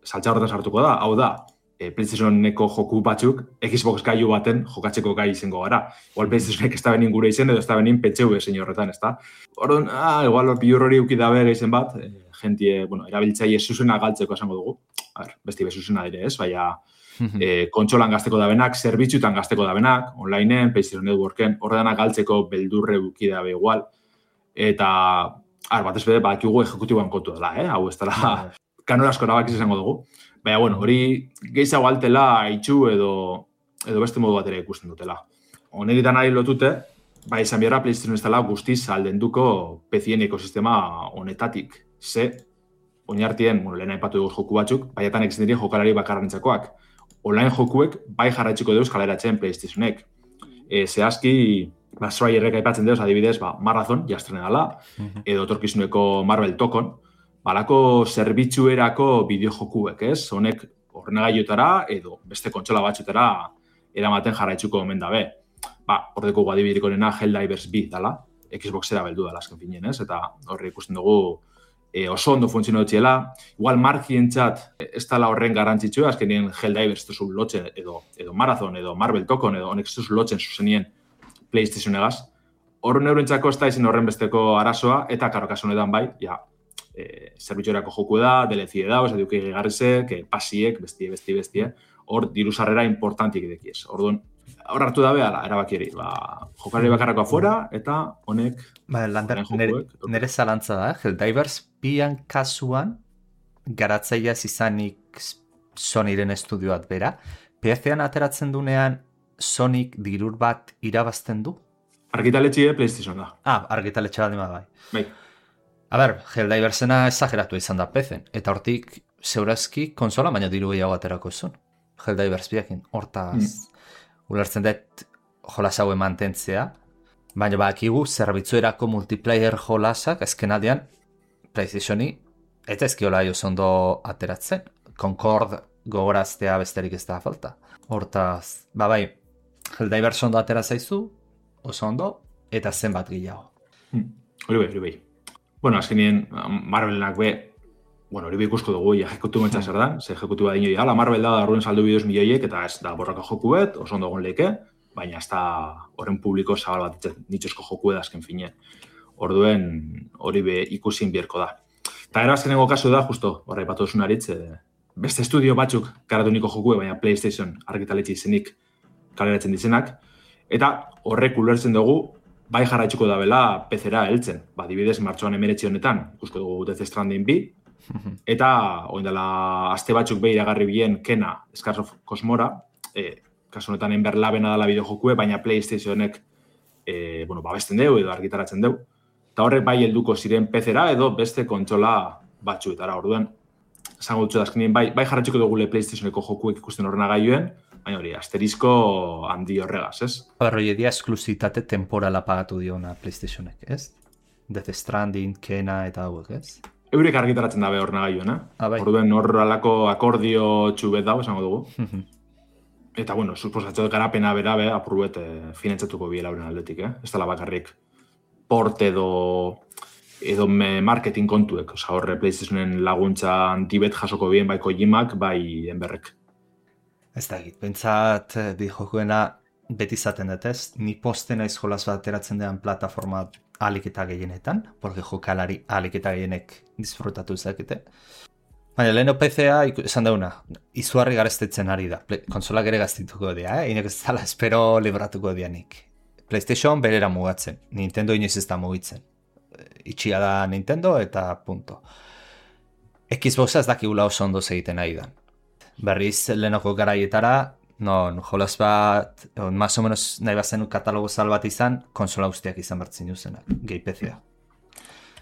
saltza horretan sartuko da, hau da, PlayStationeko joku batzuk, Xbox gaiu baten jokatzeko gai izango gara. Igual PlayStationek ez da benin gure izen, edo ez da benin PCV zein horretan, ez da? Orduan, igual bilur hori uki dabe gaizen bat, jentie, erabiltzaile zuzena galtzeko esango dugu. Besti bezuzena dire ez, baina kontsolan gazteko dabenak, zerbitzutan gazteko dabenak, onlineen, PlayStation Networken, horredanak galtzeko beldurre uki dabe igual. Eta, batez bede, bakigu ejekutiboan kontu dela, hau ez dela kanorazko erabakiz esango dugu. Baina, hori gehiago altela itxu edo beste modu batera ikusten dutela. Honegitan ari lotute, izan biarra PlayStation ez dela guztiz aldenduko PC-en ekosistema honetatik. Ze, oinartien, lehen aipatu dugu joku batzuk, baiatan ekizten dira jokalari bakarrantzakoak. Online jokuek bai jarraitxiko deuz kaleratzen PlayStationek. Zehazki, Striderrek aipatzen deuz, adibidez, Marathon, jastrene dela, edo torkizuneko Marvel Tokon, balako zerbitzuerako bideojokuek, ez? Honek horrenagaiotara edo beste kontsola batzutara eramaten jarraitzuko omen dabe. Hordeko adibideko nena Helldivers 2 dela, Xboxera beldu dela azken finen, ez? Eta horre ikusten dugu oso ondo funtziono dutxela. Igual markientzat ez dela horren garrantzitsua, azkenien Helldivers duzu lotzen edo Marathon edo Marvel Tokon edo honek duzu lotzen zuzenien PlayStationegaz. Horren eurentzako ez da izin horren besteko arazoa, eta karo kasu honetan bai, zerbitzuerako joku da, DLC da, eduki gegarrizek, pasiek, bestie, hor diruzarrera importantik edekiez. Orduan, hor hartu dabe, erabakieri, jokalari bakarrako afuera, eta honek... Nere zalantza da, Helldivers pian kasuan, garatzaileaz izanik Sonyren estudioat bera, PC-an ateratzen dunean Sonic dirur bat irabazten du? Argitaletxe PlayStation da. Argitaletxe bat dima bai. Bai. Helldiversena exageratu izan da PC-en, eta hortik zeurazki konsola baina diru gehiago aterako zuen. Helldivers biakin, hortaz ulertzen dut jolas haue mantentzea, baina bakigu zerbitzuerako multiplayer jolasak azkenaldian PlayStationi eta ezkiola oso ondo ateratzen. Concord gogoraztea besterik ez da falta. Hortaz, Helldivers ondo atera zaizu, oso ondo, eta zenbat gehiago. Hori bai. Azkenien, Marvelenak hori ikusko dugu, ejekutu mentza zer da, ze ejekutu bat dinoi, Marvel da darruen saldu bideoz milioiek, eta ez da borraka joku bet, oso ondo gon leke, baina ez da horren publiko zabal bat nitxosko joku azken fine. Orduen hori ikusin bierko da. Eta erazkenengo kasu da, justo, horra ipatu duzun aritz, beste estudio batzuk karatu niko joku, baina PlayStation argitaletxe izenik kaleratzen dizenak, eta horrek ulertzen dugu, bai jarraitzuko da bela PC-era heltzen. Dibidez, martxoan 19 honetan, ikusko dugu Death Stranding 2, eta oindela aste batzuk iragarri bien Kena, Scars of Cosmora, kasu honetan enberlabena dela bideojokue, baina PlayStationek babesten deu edo argitaratzen deu. Eta horrek bai helduko ziren PC-era edo beste kontsola batzuetara. Orduan, esango dutxo da azkenien, bai jarraitzuko dugule PlayStationeko jokuek ikusten horrena gaioen, baina hori, asterizko handi horregaz, ez? Hori edia esklusitate temporala pagatu diona PlayStationek, ez? Death Stranding, Kena eta hauek, ez? Eurek argitaratzen dabe horrena gaioen, Orduen horrelako akordio txubet dago, esango dugu. Eta, bueno, suposatzen garapena bera, apurruet finantzatuko biela horren aldetik, Ez dela bakarrik port edo marketing kontuek. Osa, horre PlayStationen laguntza antibet jasoko bien bai Kojimak, bai enberrek. Ez da egit, bentsat bideojokoena beti izaten dut ez, ni poste naiz jolaz bat ateratzen den plataforma ahalik eta gehienetan, porque jokalari ahalik eta gehienek disfrutatu zakete. Baina, leheno PC-a esan dauna, izugarri garestetzen ari da. Konsolak ere gaztituko dira, Inek ez dala espero libratuko dianik. PlayStation berera mugatzen, Nintendo inoiz ez da mugitzen. Itxia da Nintendo eta punto. Xboxa ez dakigula oso ondo egiten ari da. Berriz lehenoko garaietara, jolas bat, más o menos nahi bazen katalogo zal bat izan, konsola guztiak izan bertzen duzenak, gehi PC-a.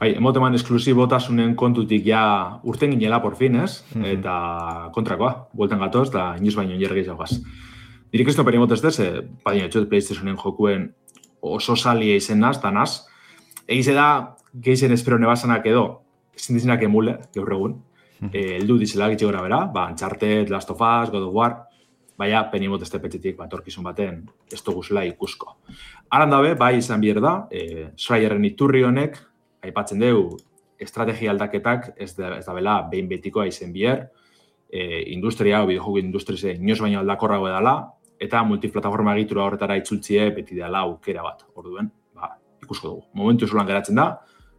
Bai, emoteman esklusibotasunen kontutik ja urten ginela por fin, Eta kontrakoa, bueltan gatoz, eta inoiz baino jergeiz augaz. Dirik ez toperi emotez dez, badina etxot PlayStationen jokuen oso salia izen naz, eta naz. Egize da, geizen espero nebazanak edo, ezin dizenak emule, gaur egun. Eldu dizela gitxe gora bera, Uncharted, Last of Us, God of War, baina peni emotezte petxetik torkizun baten ez duguzela ikusko. Aran dabe, bai izan bier da, Schreierren iturri honek, aipatzen dugu, estrategia aldaketak ez da bela behin betikoa izen bier, industria, bideojoku industrize inoz baino aldakorrago edala, eta multiplataforma egitura horretara itzultzie beti dela aukera bat, orduen, ikusko dugu. Momentu zulan geratzen da,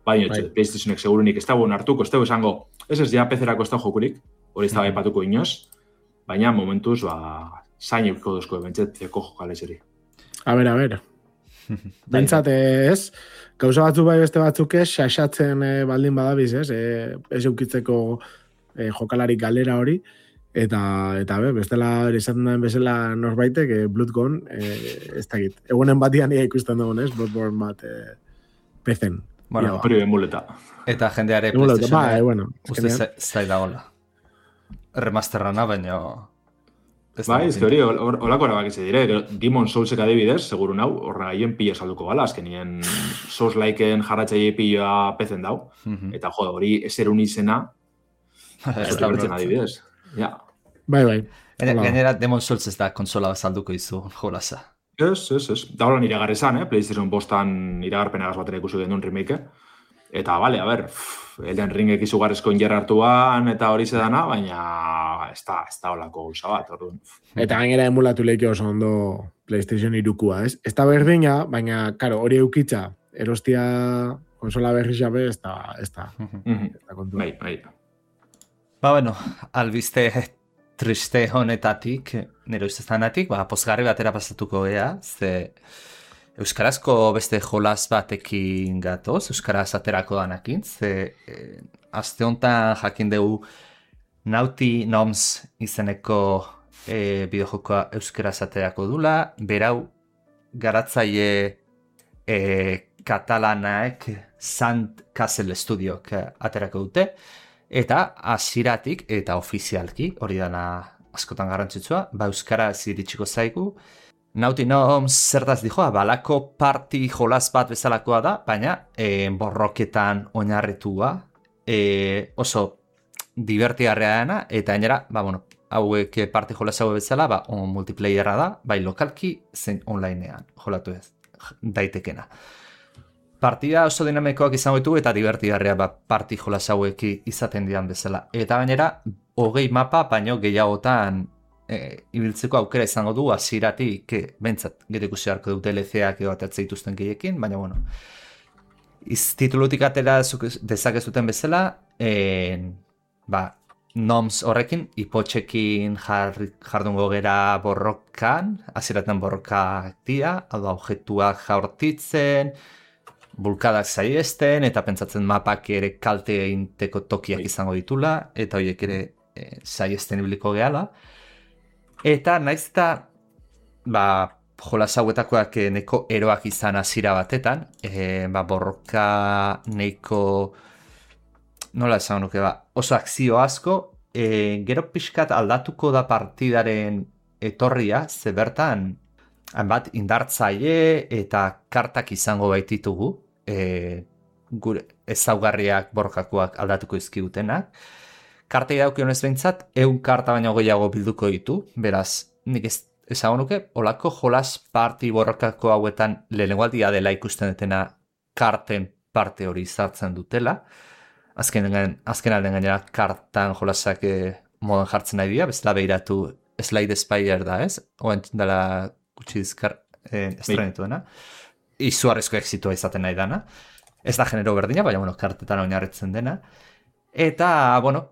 baina PlayStationek segurunik ez dagoen hartuko, ez dago esango, ez ja PC-erako ez da jokurik, hori ez da baipatuko inoz, baina momentuz, zain eukiko duzko, bentsat zeko jokalezeri. A ber. Bentsat ez, gauza batzuk bai beste batzuk ez, xaxatzen baldin badabiz, ez eukitzeko jokalarik galera hori, eta bestela esaten den bezala norbaitek, Bloodborne, ez dakit. Egunen batian ikusten dugun, Bloodborne bat pezen. Bueno, hori emuleta. Eta jendeare PlayStation uste zai da hola. Remasterrana, baina... Bai, ez hori, holako erabak izan dire, Demon Soulsek adibidez, seguru nau, horra gaien pila salduko gala, azkenien Souls-liken jarratzaile pila pezen dau, eta hori eserun izena, ez da bertzen adibidez. Ja. Bai. Gainera, Demon Souls ez da konsola salduko izu jolaza. Ez. Da holan iragarrezan, PlayStation bostan iragarpenagaz batera ikusi genuen remake, eta, bale, a ber, Elden Ringek izugarrezko ingerra hartuan eta hori zedana, baina ez da holako gauza bat, orduan. Eta gainera emulatu lehiki oso ondo PlayStation 3-kua, ez? Ez da berdina, baina, karo, hori eukitza, erostia konsola berri xabe, ez da kontu. Bai. Bueno, albiste triste honetatik, nero izazanatik, pozgarri batera pasatuko ea, ze euskarazko beste jolas batekin gatoz, euskaraz aterako danakin, ze aste honetan jakin dugu Naughty Noms izeneko bideojokoa euskaraz aterako dula, berau garatzaile katalanaek Sandcastle Studiok aterako dute, eta hasieratik eta ofizialki, hori dana askotan garrantzitsua, euskaraz iritsiko zaigu. Naughty Noms zertaz dijoa, balako party jolas bat bezalakoa da, baina borroketan oinarritua, oso divertigarria dena, eta gainera, hauek party jolas hau bezala, multiplayerra da, bai lokalki zein onlinean jolatu ez daitekena. Partida oso dinamikoak izango ditugu eta divertigarria party jolas hauek izaten dian bezala. Eta gainera, 20 mapa, baino gehiagotan ibiltzeko aukera izango du hasieratik bentsat gero ikusi beharko du DLC-ak edo atertze dituzten gehiekin, baina titulutik atera dezakezuten bezala, Noms horrekin, ipotxekin jardungo gera borrokan, hasieraten borrokak dira, objektuak jaurtitzen, bulkadak saiesten, eta pentsatzen mapak ere kalte eginteko tokiak izango ditula, eta horiek ere saiesten ibiliko gehala. Eta naiz eta jolas hauetakoak neko eroak izan hasiera batetan, borroka neko, nola esan nuke, oso akzio asko, gero pixkat aldatuko da partidaren etorria, ze bertan bat indartzaile eta kartak izango baititugu, gure ezaugarriak borrokakoak aldatuko izkigutenak. Kartei daukionez behintzat, 100 karta baino gehiago bilduko ditu, beraz, nik ez ezagun nuke, olako jolas parti borrokako hauetan lehenengo aldia dela ikusten dutena karten parte hori izartzen dutela. Azken alden gainera kartan jolasak modan jartzen nahi dira, bezala behiratu Slide Spire da, ez? Oen dela gutxi dizkar estrenituena. Izugarrizko exitua izaten nahi dana. Ez da genero berdina, baina, bueno, kartetan oinarritzen dena. Eta, bueno,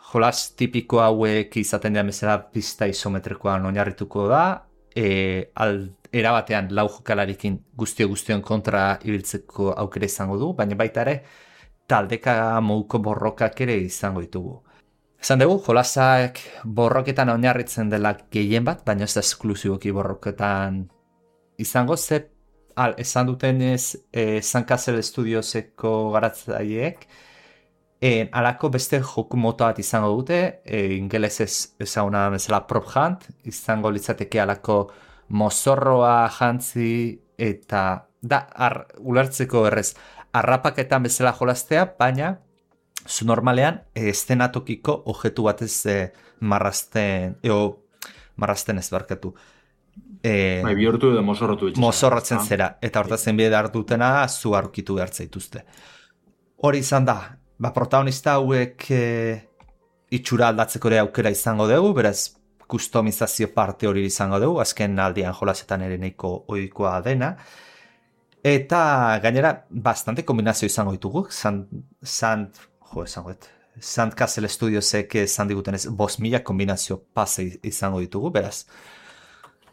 jolas tipiko hauek izaten dira bezala pista isometrikoan oinarrituko da. Erabatean lau jokalarikin guztion kontra ibiltzeko aukera izango du, baina baita ere taldeka moduko borrokak ere izango ditugu. Esan dugu, jolasak borroketan oinarritzen dela gehien bat, baina ez da esklusiboki borroketan izango, esan duten San Castle Studioseko garatzaileek, alako beste joku mota bat izango dute, ingelesez ezaguna bezala prop hunt, izango litzateke alako mozorroa jantzi eta ulertzeko errez, arrapaketan bezala jolastea, baina zu normalean estenatokiko objektu batez marrazten ez barkatu. Bihurtu edo mozorrotu itxesan. Mozorrotzen zera, eta hortazen bide hartutena zu aurkitu behartza dituzte. Hori izan da, protagonista hauek itxura aldatzeko ere aukera izango dugu, beraz kustomizazio parte hori izango dugu, azken aldian jolasetan ere nahiko ohikoa dena. Eta gainera, bastante kombinazio izango ditugu, Sand Castle Studiosek esan diguten ez 5.000 kombinazio pase izango ditugu, beraz,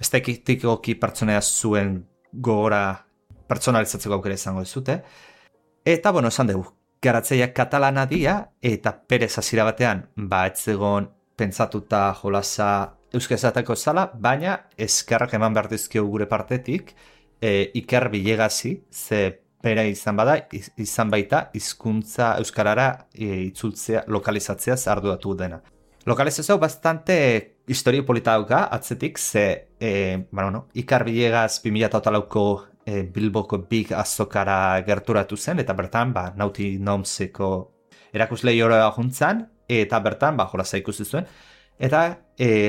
ez tekitikoki pertsonea zuen gogora pertsonalizatzeko aukera izango dizute. Eta, bueno, esan dugu, garatzaileak katalana dira, eta perez hasiera batean, ez egon pentsatuta jolasa euskazatako zala, baina eskerrak eman behar dizkio gure partetik, Iker Bilegazi, ze bera izan baita, hizkuntza euskarara itzultzea, lokalizatzea arduratu dena. Lokalizazio bastante historio polita dauka, atzetik, ze, Iker Bilegaz 2008ko Bilboko Big Azokara gerturatu zen, eta bertan, Naughty Gnomeseko erakuslei hori juntzan, eta bertan, jolasa ikusi zuen, eta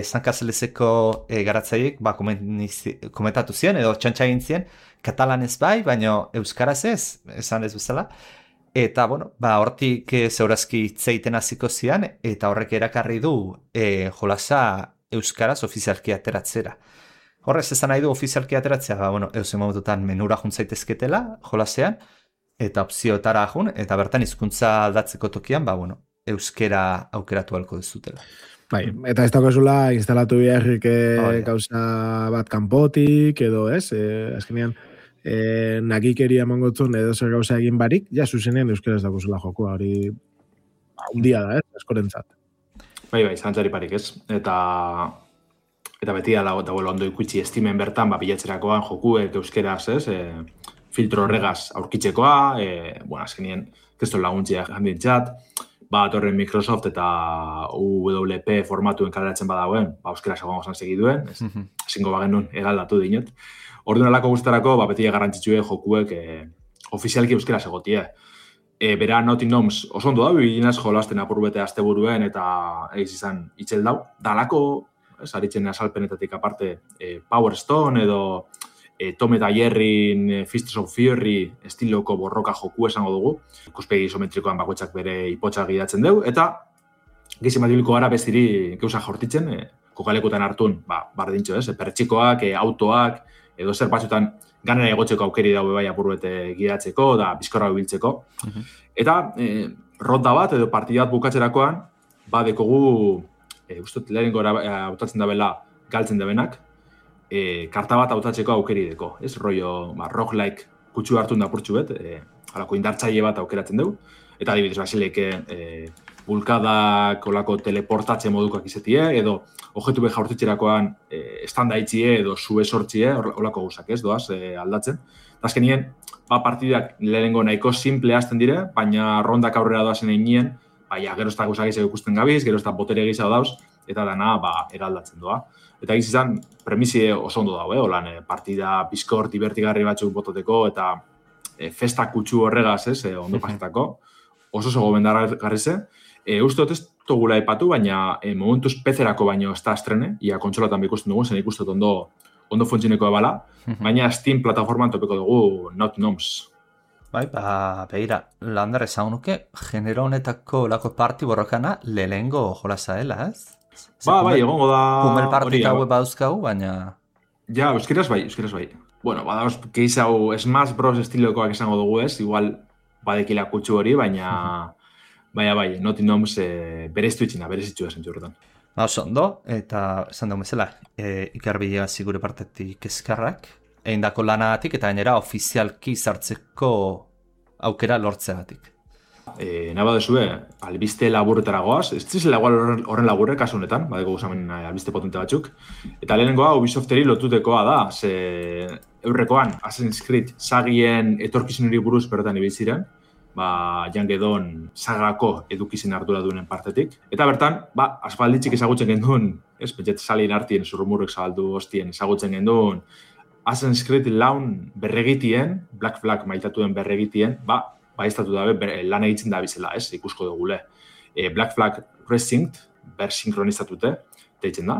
San Castleseko garatzaileek komentatu ziren, edo txantxa egin ziren, katalanez bai, baina euskaraz ez, esan ez bezala. Eta, hortik zeurazki itzeiten hasiko zian, eta horrek erakarri du jolasa euskaraz ofizialki ateratzera. Horrez esan nahi du ofizialki ateratzea, eusen momentutan menura juntzaitezketela jolasean, eta opzioetara jun, eta bertan hizkuntza aldatzeko tokian, euskera aukeratu halko dezutela. Bai, eta ez dagoezula instalatu beharrik gauza bat kanpotik, edo ez, azkenean, nagikeria mongotzun edo zer gauza egin barik, ja zuzenean euskaraz dagoezula jokoa, hori hundia da, askorentzat. Bai, zantzari parik ez, eta beti dagoela ondo ikutsi estimen bertan, bilatzerakoan jokuek euskeraz ez, filtro horregaz aurkitzekoa, azkenean, keston laguntzia jandintzat, torren Microsoft eta UWP formatuen kaleratzen badauen, euskera segoan gozan segiduen, ezingo bagenun egaldatu dinot. Orduan alako guztarako, beti garrantzitsue jokuek ofizialki euskera segotie. Bera Naughty Gnomes oso ondo da, bilinaz jolasten apurbete asteburuen eta egiz izan itxel dau. Da alako, aritzen asalpenetatik aparte, Power Stone edo Tom eta Jerryn Fists of Fury estiloko borroka joku esango dugu. Ikuspegi isometrikoan bakoitzak bere ipotxa gidatzen dugu. Eta gizien batibiliko gara beziri geuza jortitzen, kokalekutan hartun, bardintxo ez, pertsikoak, autoak, edo zer batzutan ganera egotzeko aukeri daue bai apurbete gidatzeko, da bizkorra biltzeko. Eta ronda bat edo partidat bukatzerakoan, dekogu, ustot lehen gora hautatzen dabela galtzen dabenak, karta bat hautatzeko aukeri deko, ez? Rollo, roguelike kutsu hartun da purtsu bet, alako indartzaile bat aukeratzen dugu, eta adibidez basileke bulkadak olako teleportatze modukoak izetie, edo objektu beha hortitzerakoan estanda itxie edo zue sortxie, olako guzak ez, doaz aldatzen. Azkenien, partidak lehenengo nahiko simple hasten dire, baina rondak aurrera doazen einien, gero ez da guzak izan ikusten gabiz, gero ez da botere gizau dauz, eta dana eraldatzen doa. Eta egiz izan, premisi oso ondo dago, holan, partida bizkor divertigarri batzuk bototeko, eta festa kutsu horregaz, ondo pasetako. oso gomendagarri ze. Uste dut ez togula ipatu, baina momentuz PC-erako baino ez da estrene, ia kontsolatan ikusten dugu, zen ikustot ondo funtzioneko ebala, baina Steam plataforman topeko dugu Naughty Gnomes. Bai, behira, landar esan nuke, genero honetako lako parti borrokana lehengo jolasa dela, ez? Bai, egongo da... Pumel partik hau badauzkau, baina... Ja, euskeraz bai. Bueno, badauz, keiz hau Smash Bros. Estilokoak esango dugu ez, igual badekila kutsu hori, baina... Bai, Naughty Gnomes berezitxu esan txurretan. Oso ondo, eta esan dugu bezala, ikarbidea zigure partetik eskarrak, eindako lanagatik eta gainera ofizialki sartzeko aukera lortzeagatik. Naba dezue, albiste laburretara goaz, ez zizela igual horren laburre, kasu honetan, badeko guzamen albiste potente batzuk, eta lehenengoa Ubisofteri lotutekoa da, ze eurrekoan Assassin's Creed sagien etorkizunari buruz bertan ibiltziren, Jan Gedon sagako edukizien ardura duenen partetik. Eta bertan, aspalditxik ezagutzen genduen, ez, pentset salien artien, zurrumurrek zabaldu hostien ezagutzen genduen, Assassin's Creed laun berregitien, Black Flag maitatuen berregitien, estatu dabe lan egitzen da bizela, ez, ikusko dugule. Black Flag Precinct, bersinkronizatute, deitzen da.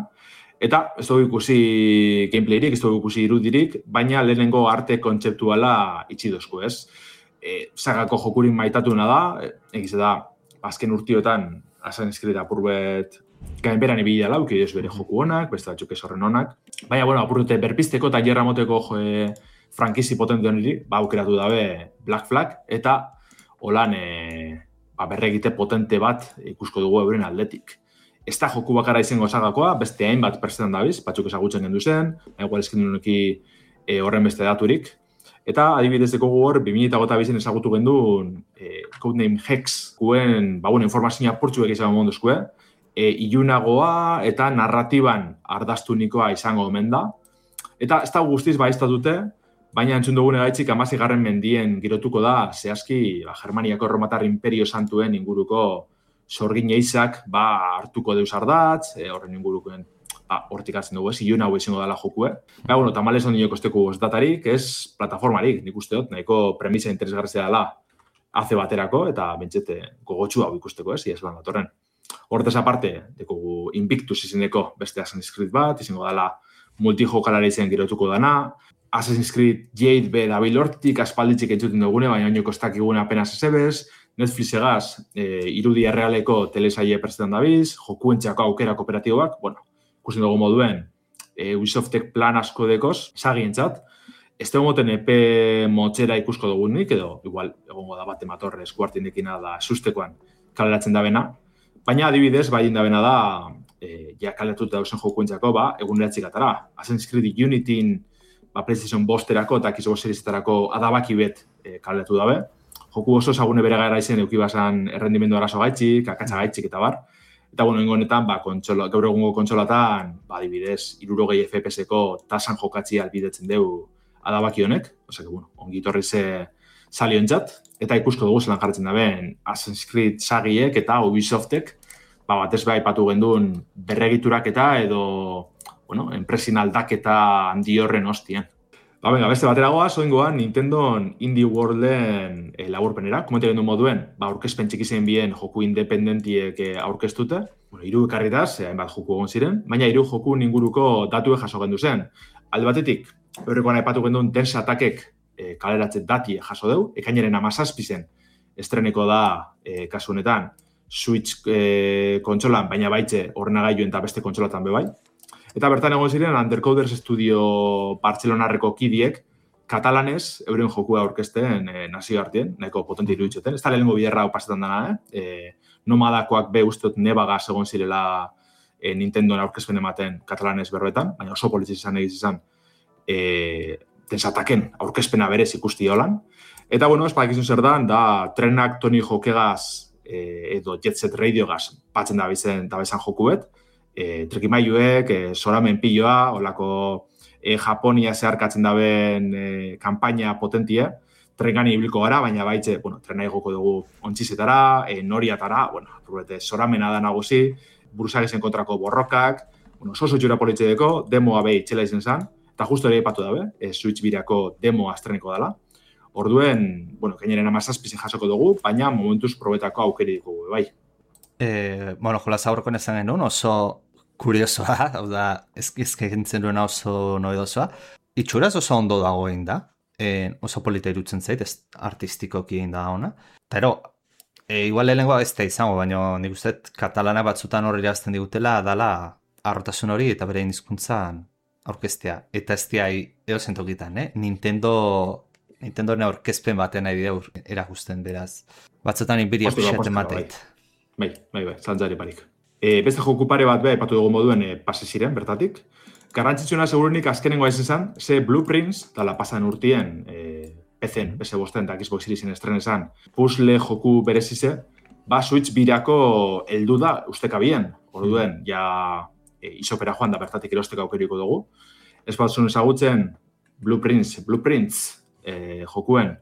Eta ez dugu ikusi gameplayrik, ez dugu ikusi irudirik, baina lehenengo arte kontzeptuala itxi dozku, ez. Sagako jokurin maitatuna da, egize da, azken urtiotan Assassin's Creed apurbet gainberan ibili dela, uki bere joku honak, beste batzuk ez horren honak. Baina, apurrute berpisteko eta jerra moteko frankizi potente honiri, aukeratu dabe Black Flag, eta holan berregite potente bat ikusko dugu euren aldetik. Ez da joku bakara izango sagakoa, beste hainbat pertsetan dabiz, batzuk ezagutzen gendu zen, igual eskindunuki horren beste daturik. Eta adibidez dekogu hor, 2008 ezagutu genduen Codename Hex guen, informazioa purtsuek izan monduzkue, ilunagoa eta narratiban ardaztunikoa izango omen da. Eta ez da guztiz baiztatute, baina entzun dugun egaitzik 16. mendien girotuko da, zehazki Germaniako Erromatar Imperio Santuen inguruko sorgin eizak hartuko deus ardatz, horren ingurukoen hortik hartzen dugu, ilun hau izango dela jokue. Tamales ondino kosteko ez datarik, ez plataformarik, nik uste dut, nahiko premisa interesgarrizia dela haze baterako, eta bentsete gogotxu hau ikusteko ez, iaz lan datorren. Hortez aparte, dekogu Invictus izeneko beste Assassin's Creed bat, izango dela multijokalare izan girotuko dana, Assassin's Creed Jade be dabil hortik aspalditzik entzuten dugune, baina oinoko kostak igune apenas ezebez, Netflix egaz irudi errealeko telesaie prestetan dabiz, jokuentxako aukera kooperatiboak, ikusten dugu moduen, Ubisoftek plan asko dekoz, sagientzat, ez dugu moten epe motxera ikusko dugunik, edo igual egongo da bat ematorre eskuartindekina da sustekoan kaleratzen dabena, baina adibidez, bain dabena da, kaleratuta dauzen jokuentzako, eguneratzik atara. Assassin's Creed Unityn, PlayStation bosterako eta Xbox Seriesetarako adabaki bet kaleratu dabe. Joku oso zagune bere gara izen eukibazan errendimendu arazo gaitxik, akatsa gaitxik eta bar. Eta honetan, gaur egungo kontsolatan, adibidez, 60 FPS-eko tasan jokatzi albidetzen dugu adabaki honek, ongi torri ze saliontzat, eta ikusko dugu zelan jarretzen dabeen Assassin's Creed sagiek eta Ubisoftek, batez beha ipatu genduen berregiturak eta edo, enpresin aldaketa handi horren hostien. Beste bateragoa, zoingoan Nintendo Indie Worlden laburpenera, komente gendu moduen, aurkezpen txikizen bien joku independentiek aurkeztute, hiru ekarritaz, hainbat joku egon ziren, baina hiru joku inguruko datue jaso gendu zen. Alde batetik, horrekoan aipatu genduen Dance Attackek kaleratzen datie jaso deu, ekainaren 17 estreneko da kasu honetan Switch kontsolan, baina baitze ordenagailuen eta beste kontsolatan bebai. Eta bertan egon ziren Undercoders Studio Bartzelonarreko kidiek katalanez euren jokua aurkezten nazio hartien, nahiko potente iruditzoten. Ez da lehenengo biderra hau pasetan dana, nomadakoak be usteot nebagaz egon zirela Nintendoen aurkezpen ematen katalanez berbetan, baina oso politxe izan egiz izan desataken aurkezpena berez ikusti holan. Eta, espadakizun zer da trenak Tony Hawkegaz edo Jet Set Radiogaz batzen da bizan joku bet, trikimailuek, soramen piloa, olako Japonia zeharkatzen daben kanpaina potentia, trengani ibiliko gara, baina baitze, trena igoko dugu ontzizetara, noriatara, soramena da nagusi, buruzagezen kontrako borrokak, oso txura politxedeko, demoa behi txela izen zan, eta justo ere ipatu dabe, Switch birako demo astreneko dela. Orduen, bueno, gaineren 17 jasoko dugu, baina momentuz probetako aukeri ditugu, bai. Jolas aurrekoen esan genuen, oso kuriosoa, hau da, ezkentzen duena oso noedosoa. Itxuraz oso ondo dagoen da, oso polita irutzen zait, ez artistikoki egin da ona. Pero, igual lehenengoa ez da izango, baina nik uste katalana batzutan horri irazten digutela, dala arrotasun hori eta bere hizkuntzan aurkeztea. Eta ez diai edozentokitan, Nintendoren aurkezpen baten nahi dira erakusten beraz. Batzutan inbiria pixaten mateit. Bai, zantzari parik. Beste joku pare bat epatu dugu moduen pase ziren, bertatik. Garrantzitsuena segurunik azkenengoa ez izan, ze Blueprints, dala pasan urtien, PC-en, PS5 eta Xbox Seriesin estrenesan, puzzle joku berezize, Switch birako heldu da ustekabien. Orduen, ja isopera joan da bertatik erosteko aukeriko dugu. Ez batzun ezagutzen Blueprints jokuen,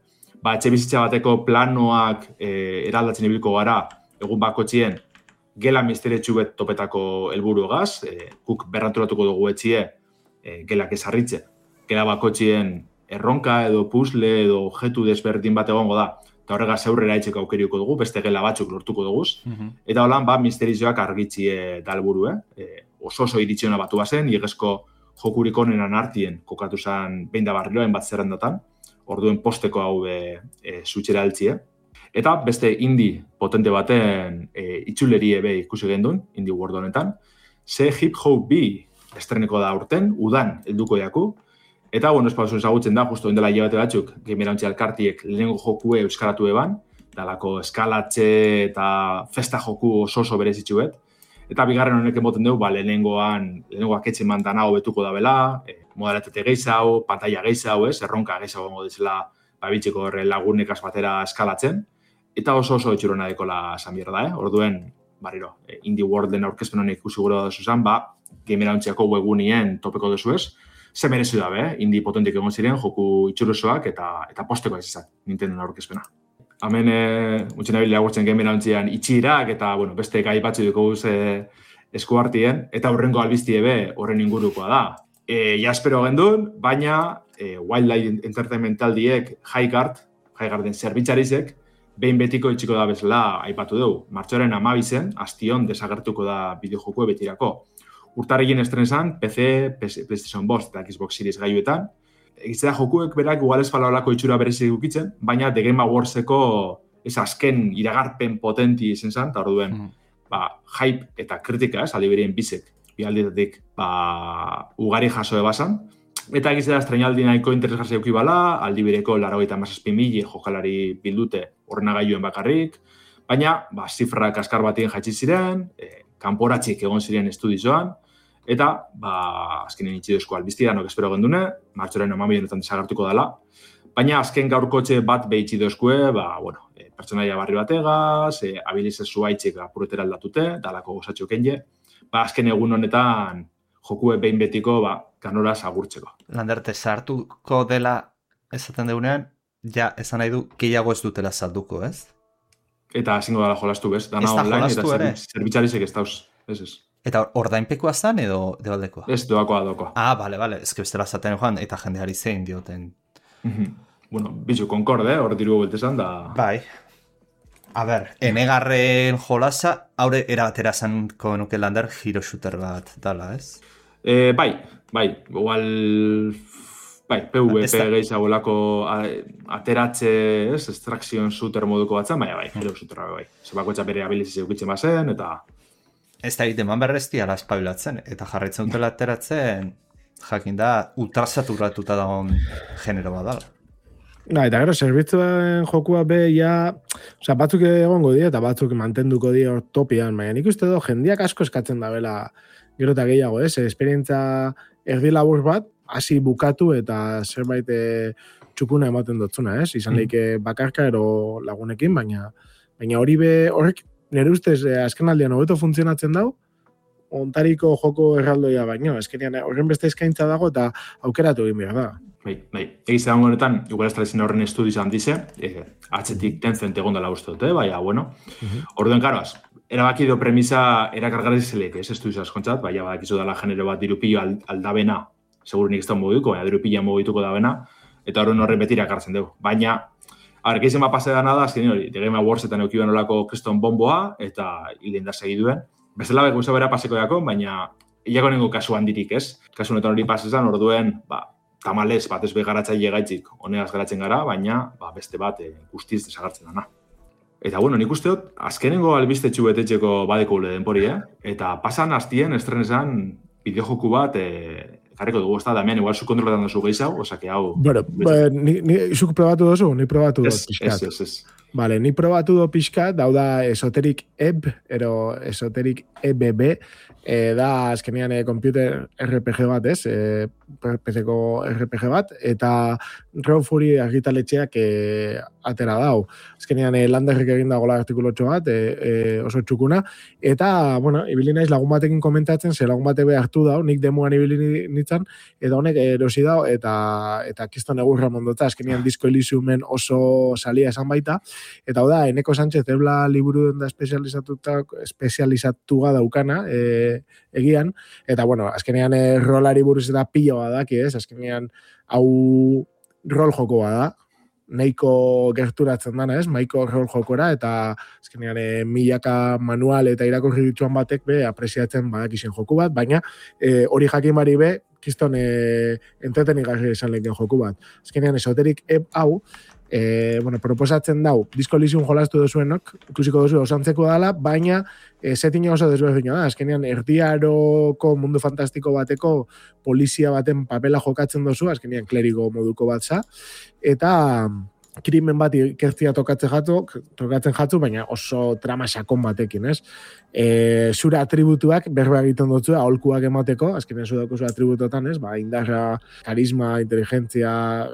etxe bizitza bateko planoak eraldatzen ibilko gara, egun bakotxien, gela misteretsu bet topetako helburu egaz, guk berranturatuko dugu etxie gelak ezarritze. Gela bakotxien erronka edo puzzle edo objektu desberdin bat egongo da, eta horregaz aurrera etxeko aukeriko dugu, beste gela batzuk lortuko duguz. Eta holan, misterizioak argitzie da helburu, oso iritziona batu bazen, igezko jokurik onenan artien kokatu zen behin da barriloen bat zerrendatan, orduen posteko hau zutxera altzie. Eta beste indie potente baten itxuleri ebe ikusi gendun, indie world honetan, ze Hip Hop B estreneko da urten, udan helduko jaku, eta, espazun ezagutzen da, justo indela hilabete batzuk, Gamerauntzi Alkartiek lehenengo jokue euskaratu eban, dalako eskalatxe eta festa joku oso berezitxuet, eta bigarren honek emoten dugu, lehenengoak etxe mandana hobetuko da bela, modalitate gehiago, pantalla gehiago, erronka gehiago gongo dizela bitxeko horre lagunekaz batera eskalatzen, eta oso etxurona dekola esan bierda, Orduen, Indie Worlden aurkezpen honek ikusi gura da zuzan, Gamerauntziako webgunien topeko duzu ez, ze merezu da, indie potentik egon ziren, joku itxurosoak eta posteko ez izan, Nintendo aurkezpena. Hemen, utxen abile agurtzen Gamerauntzian itxirak eta, beste gai batzu duko guz eskuartien, eta horrengo albiztie be horren ingurukoa da. Jaspero gendun, baina Wildlife Entertainment taldiek Highgarden zerbitzarizek, behin betiko itxiko da bezala aipatu dugu. Martxoaren 12 astion desagertuko da bideojokue betirako. Urtarrigin estrenesan, PC, PlayStation 5 eta Xbox Series gaiuetan. Egitzea jokuek berak igual ez falolako itxura berezik dukitzen, baina The Game Awardseko azken iragarpen potenti izen zan, eta orduen hype eta kritika, aldi berien bizek, bialdetatik ugari jaso ebasan. Eta egitzea estrenaldi nahiko interesgarri eukibala, aldi bereko 97.000 jokalari bildute horrena gailuen bakarrik, baina zifrak askar batien jaitsi ziren, kanporatzik egon ziren estudizoan, eta azkenen itxidozko albiztia, nok espero gendune, martxoren 12 desagertuko dela, baina azken gaurkotxe bat behitxidozkue, pertsonaia barri bategaz, abilizez zuaitzik apurretera aldatute, dalako gozatxo kenje, azken egun honetan jokue behin betiko kanoraz agurtzeko. Landerte, sartuko dela esaten deunean, ja, esan nahi du, gehiago ez dutela salduko, ez? Eta ezingo dela jolastu, bez? Dana online eta zerbitzarizek ez dauz, ez. Eta ordainpekoa zan edo debaldekoa? Ez, doakoa. Bale, ez que bestela zaten joan, eta jendeari zein dioten. Bizu, konkorde, hor diru beltezan da... Bai. A ber, enegarren jolasa, haure erabatera zanko nuke lander hero shooter bat dala, ez? Bai, igual... PvP gehiagolako ateratze, extraction shooter moduko batzan, bai, hero shooter bai. Zebako bere abilizizia ukitzen bazen, eta... Ez da egiten berrezti ala espabilatzen, eta jarraitzen dutela ateratzen, jakin da, ultrasaturatuta dagoen genero bat dala. Eta gero, zerbitzuen jokua batzuk egongo dira, eta batzuk mantenduko dira topian, baina nik uste do, jendiak asko eskatzen da bela, gero eta gehiago, esperientza erdi labur bat, hasi bukatu eta zerbait txukuna ematen dotzuna, izan leike bakarka ero lagunekin, baina hori horrek nire ustez azken aldean hobeto funtzionatzen dau, ontariko joko erraldoia baino, eskenean horren beste eskaintza dago eta aukeratu egin behar da. Bai. Egiz egon honetan, igual estralizien horren estudiz handize, atzetik Tencent egon dela uste dute, baina, orduen karoaz, erabaki do premisa erakargarri zelek, ez estudiz askontzat, baina badakizu dela genero bat dirupillo aldabena, segurunik ez da mogituko, baina dirupilla mogituko da bena, eta horren betira ekartzen dugu. Baina, gehizien bat pase dana da, azken hori, The Game Awards-etan eukiban olako kriston bomboa, eta hilden da segiduen. Bestela bek guzti bera paseko dako, baina hilako nengo kasu handirik, ez? Kasu honetan hori pasezan, orduen, tamalez bat ez begaratzaile gaitzik honegaz garatzen gara, baina beste bat guztiz desagartzen dana. Eta, bueno, nik uste dut, azkenengo albistetxu betetxeko badeko ule denpori, Eta pasan hastien estrenesan bideojoku bat jarriko dugu, ez da, Damian, igual zu kontrolatan duzu gehiago, osake hau... Bueno, zuk probatu duzu, ni probatu dut pixkat. Ez. Vale, ni probatu dut pixkat, da Esoteric Ebb, Esoteric EBB, da azkenean computer RPG bat, ez? PC-ko RPG bat, eta Raw Fury argitaletxeak atera dau. Azkenean Landerrek egin dagoela artikulotxo bat, oso txukuna, eta, bueno, ibili naiz lagun batekin komentatzen, ze lagun batek hartu dau, nik demoan ibili nintzen, eta honek erosi dau, eta kiston egurra mondotza, azkenean Disco Elysiumen oso salia esan baita, eta hau da, Eneko Sánchez ebla liburu da espezializatuga daukana, egian, eta, bueno, azkenean rolari buruz eta pilo badaki, ez? Azkenean, hau rol joko bada, nahiko gerturatzen dana, ez? Maiko rol jokora, eta azkenean milaka manual eta irakurri dituan batek apresiatzen badakizien joku bat, baina hori jakin bari kiston entretenigarri esan lehen joku bat. Azkenean, Esoteric hau, proposatzen dau, Disco Elysium jolastu duzuenok, ikusiko duzu osantzeko dala, baina setting oso desberdina da. Azkenean, erdiaroko mundu fantastiko bateko polizia baten papela jokatzen duzu, azkenean klerigo moduko bat za, eta krimen bat ikertzia tokatzen jatzu, baina oso trama sakon batekin, ez? Zure atributuak berba egiten dutzu, aholkuak emateko, azkenean zudako zure atributotan, ez? Indarra, karisma, inteligentzia,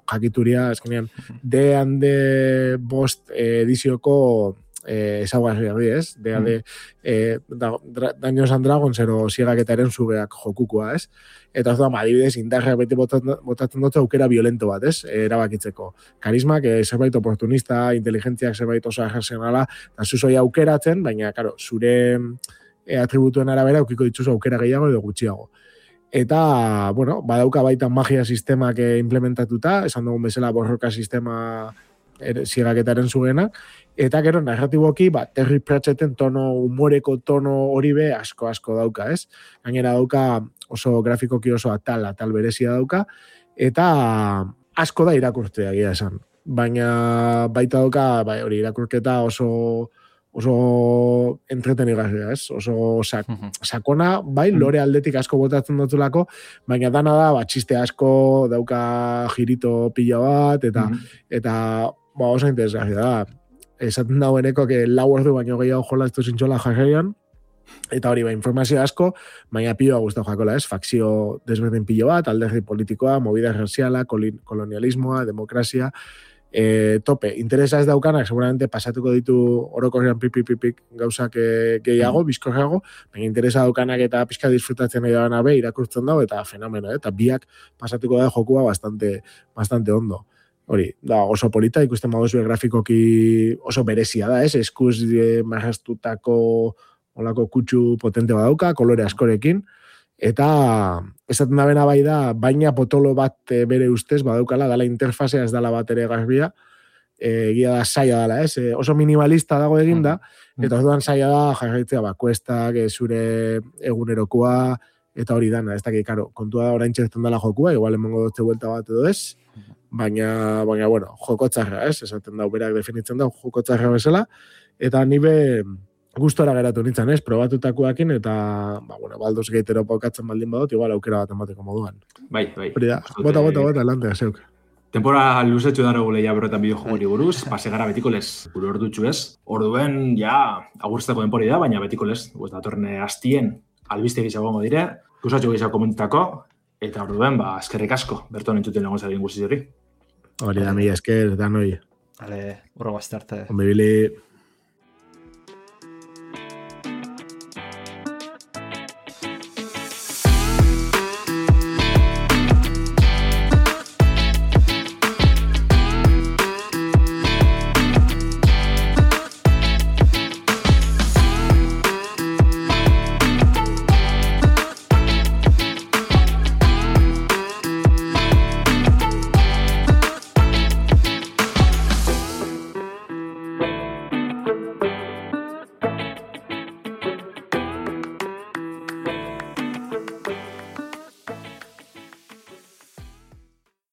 jakituria, azkenean D&D bost edizioko ezaguarri, ez? D&D Dungeons and Dragons ero ziegaketaren zugeak jokukoa, ez? Eta ez da, adibidez, indarra bete botatzen dut aukera violento bat, ez? Erabakitzeko. Karismak, zerbait oportunista, inteligentziak zerbait oso arrazionala, eta zuzoi aukeratzen, baina, karo, zure atributuen arabera aukiko ditzuzu aukera gehiago edo gutxiago. Eta, bueno, badauka baita magia sistemak implementatuta, esan dugun bezala borroka sistema ziegaketaren zugenak, eta gero narratiboki, Terry Pratchetten humoreko tono hori asko dauka, ez? Gainera dauka oso grafikoki oso atal berezia dauka, eta asko da irakurtzea egia esan. Baina baita dauka, hori irakurketa oso entretenigarria, ez? Oso sakona, lore aldetik asko botatzen dutulako, baina dana da, txiste asko dauka girito pila bat, eta oso interesgarria da. Esaten daueneko lau ordu baino gehiago jolaztu zintxola jarraian, eta hori informazio asko, baina pioa guztau jakola, ez? Fakzio desberdin pilo bat, alderdi politikoa, movida raziala, kolonialismoa, demokrazia, tope. Interesa ez daukanak, seguramente pasatuko ditu orokorrean pipik gauzak gehiago, bizkorrago, baina interesa daukanak eta pixka disfrutatzen nahi dagoena irakurtzen dago, eta fenomeno, eta biak pasatuko da jokua bastante ondo. Hori, da oso polita, ikusten baduzue grafikoki oso berezia da, ez? Eskuz marrastutako olako kutsu potente badauka, kolore askorekin, eta esaten da bena bai da, baina potolo bat bere ustez badaukala, dala interfazea ez dala bat ere garbia, egia da saia dala, ez? Oso minimalista dago eginda, eta orduan saia da jarraitzea kuestak, zure egunerokoa, eta hori dana, ez dakik, kontua da orain txertzen dela jokua, igual emango dutze buelta bat edo ez, baina, bueno, jokotzarra, ez? Esaten dau, berak definitzen dau, jokotzarra bezala, eta nibe gustora geratu nintzen, ez? Probatutakoakin, eta, Baldur's Gate paukatzen baldin badut, igual aukera bat emateko moduan. Bai. Hori da, bota, lantea, zeuk. Tempora luzetxu dara gule ja berretan bideojogori buruz, pase gara betiko lez, gure ordutxu ez. Orduen, agurtzeko denpori da, baina betiko lez, datorren hastien albiste gizago gongo dire, kusatxo gizago komentako, eta orduen, eskerrik asko, berton entzuten lagun zaren guzti hori. Hori da, mila esker, da noi. Hale, urro bastarte. Onbibili.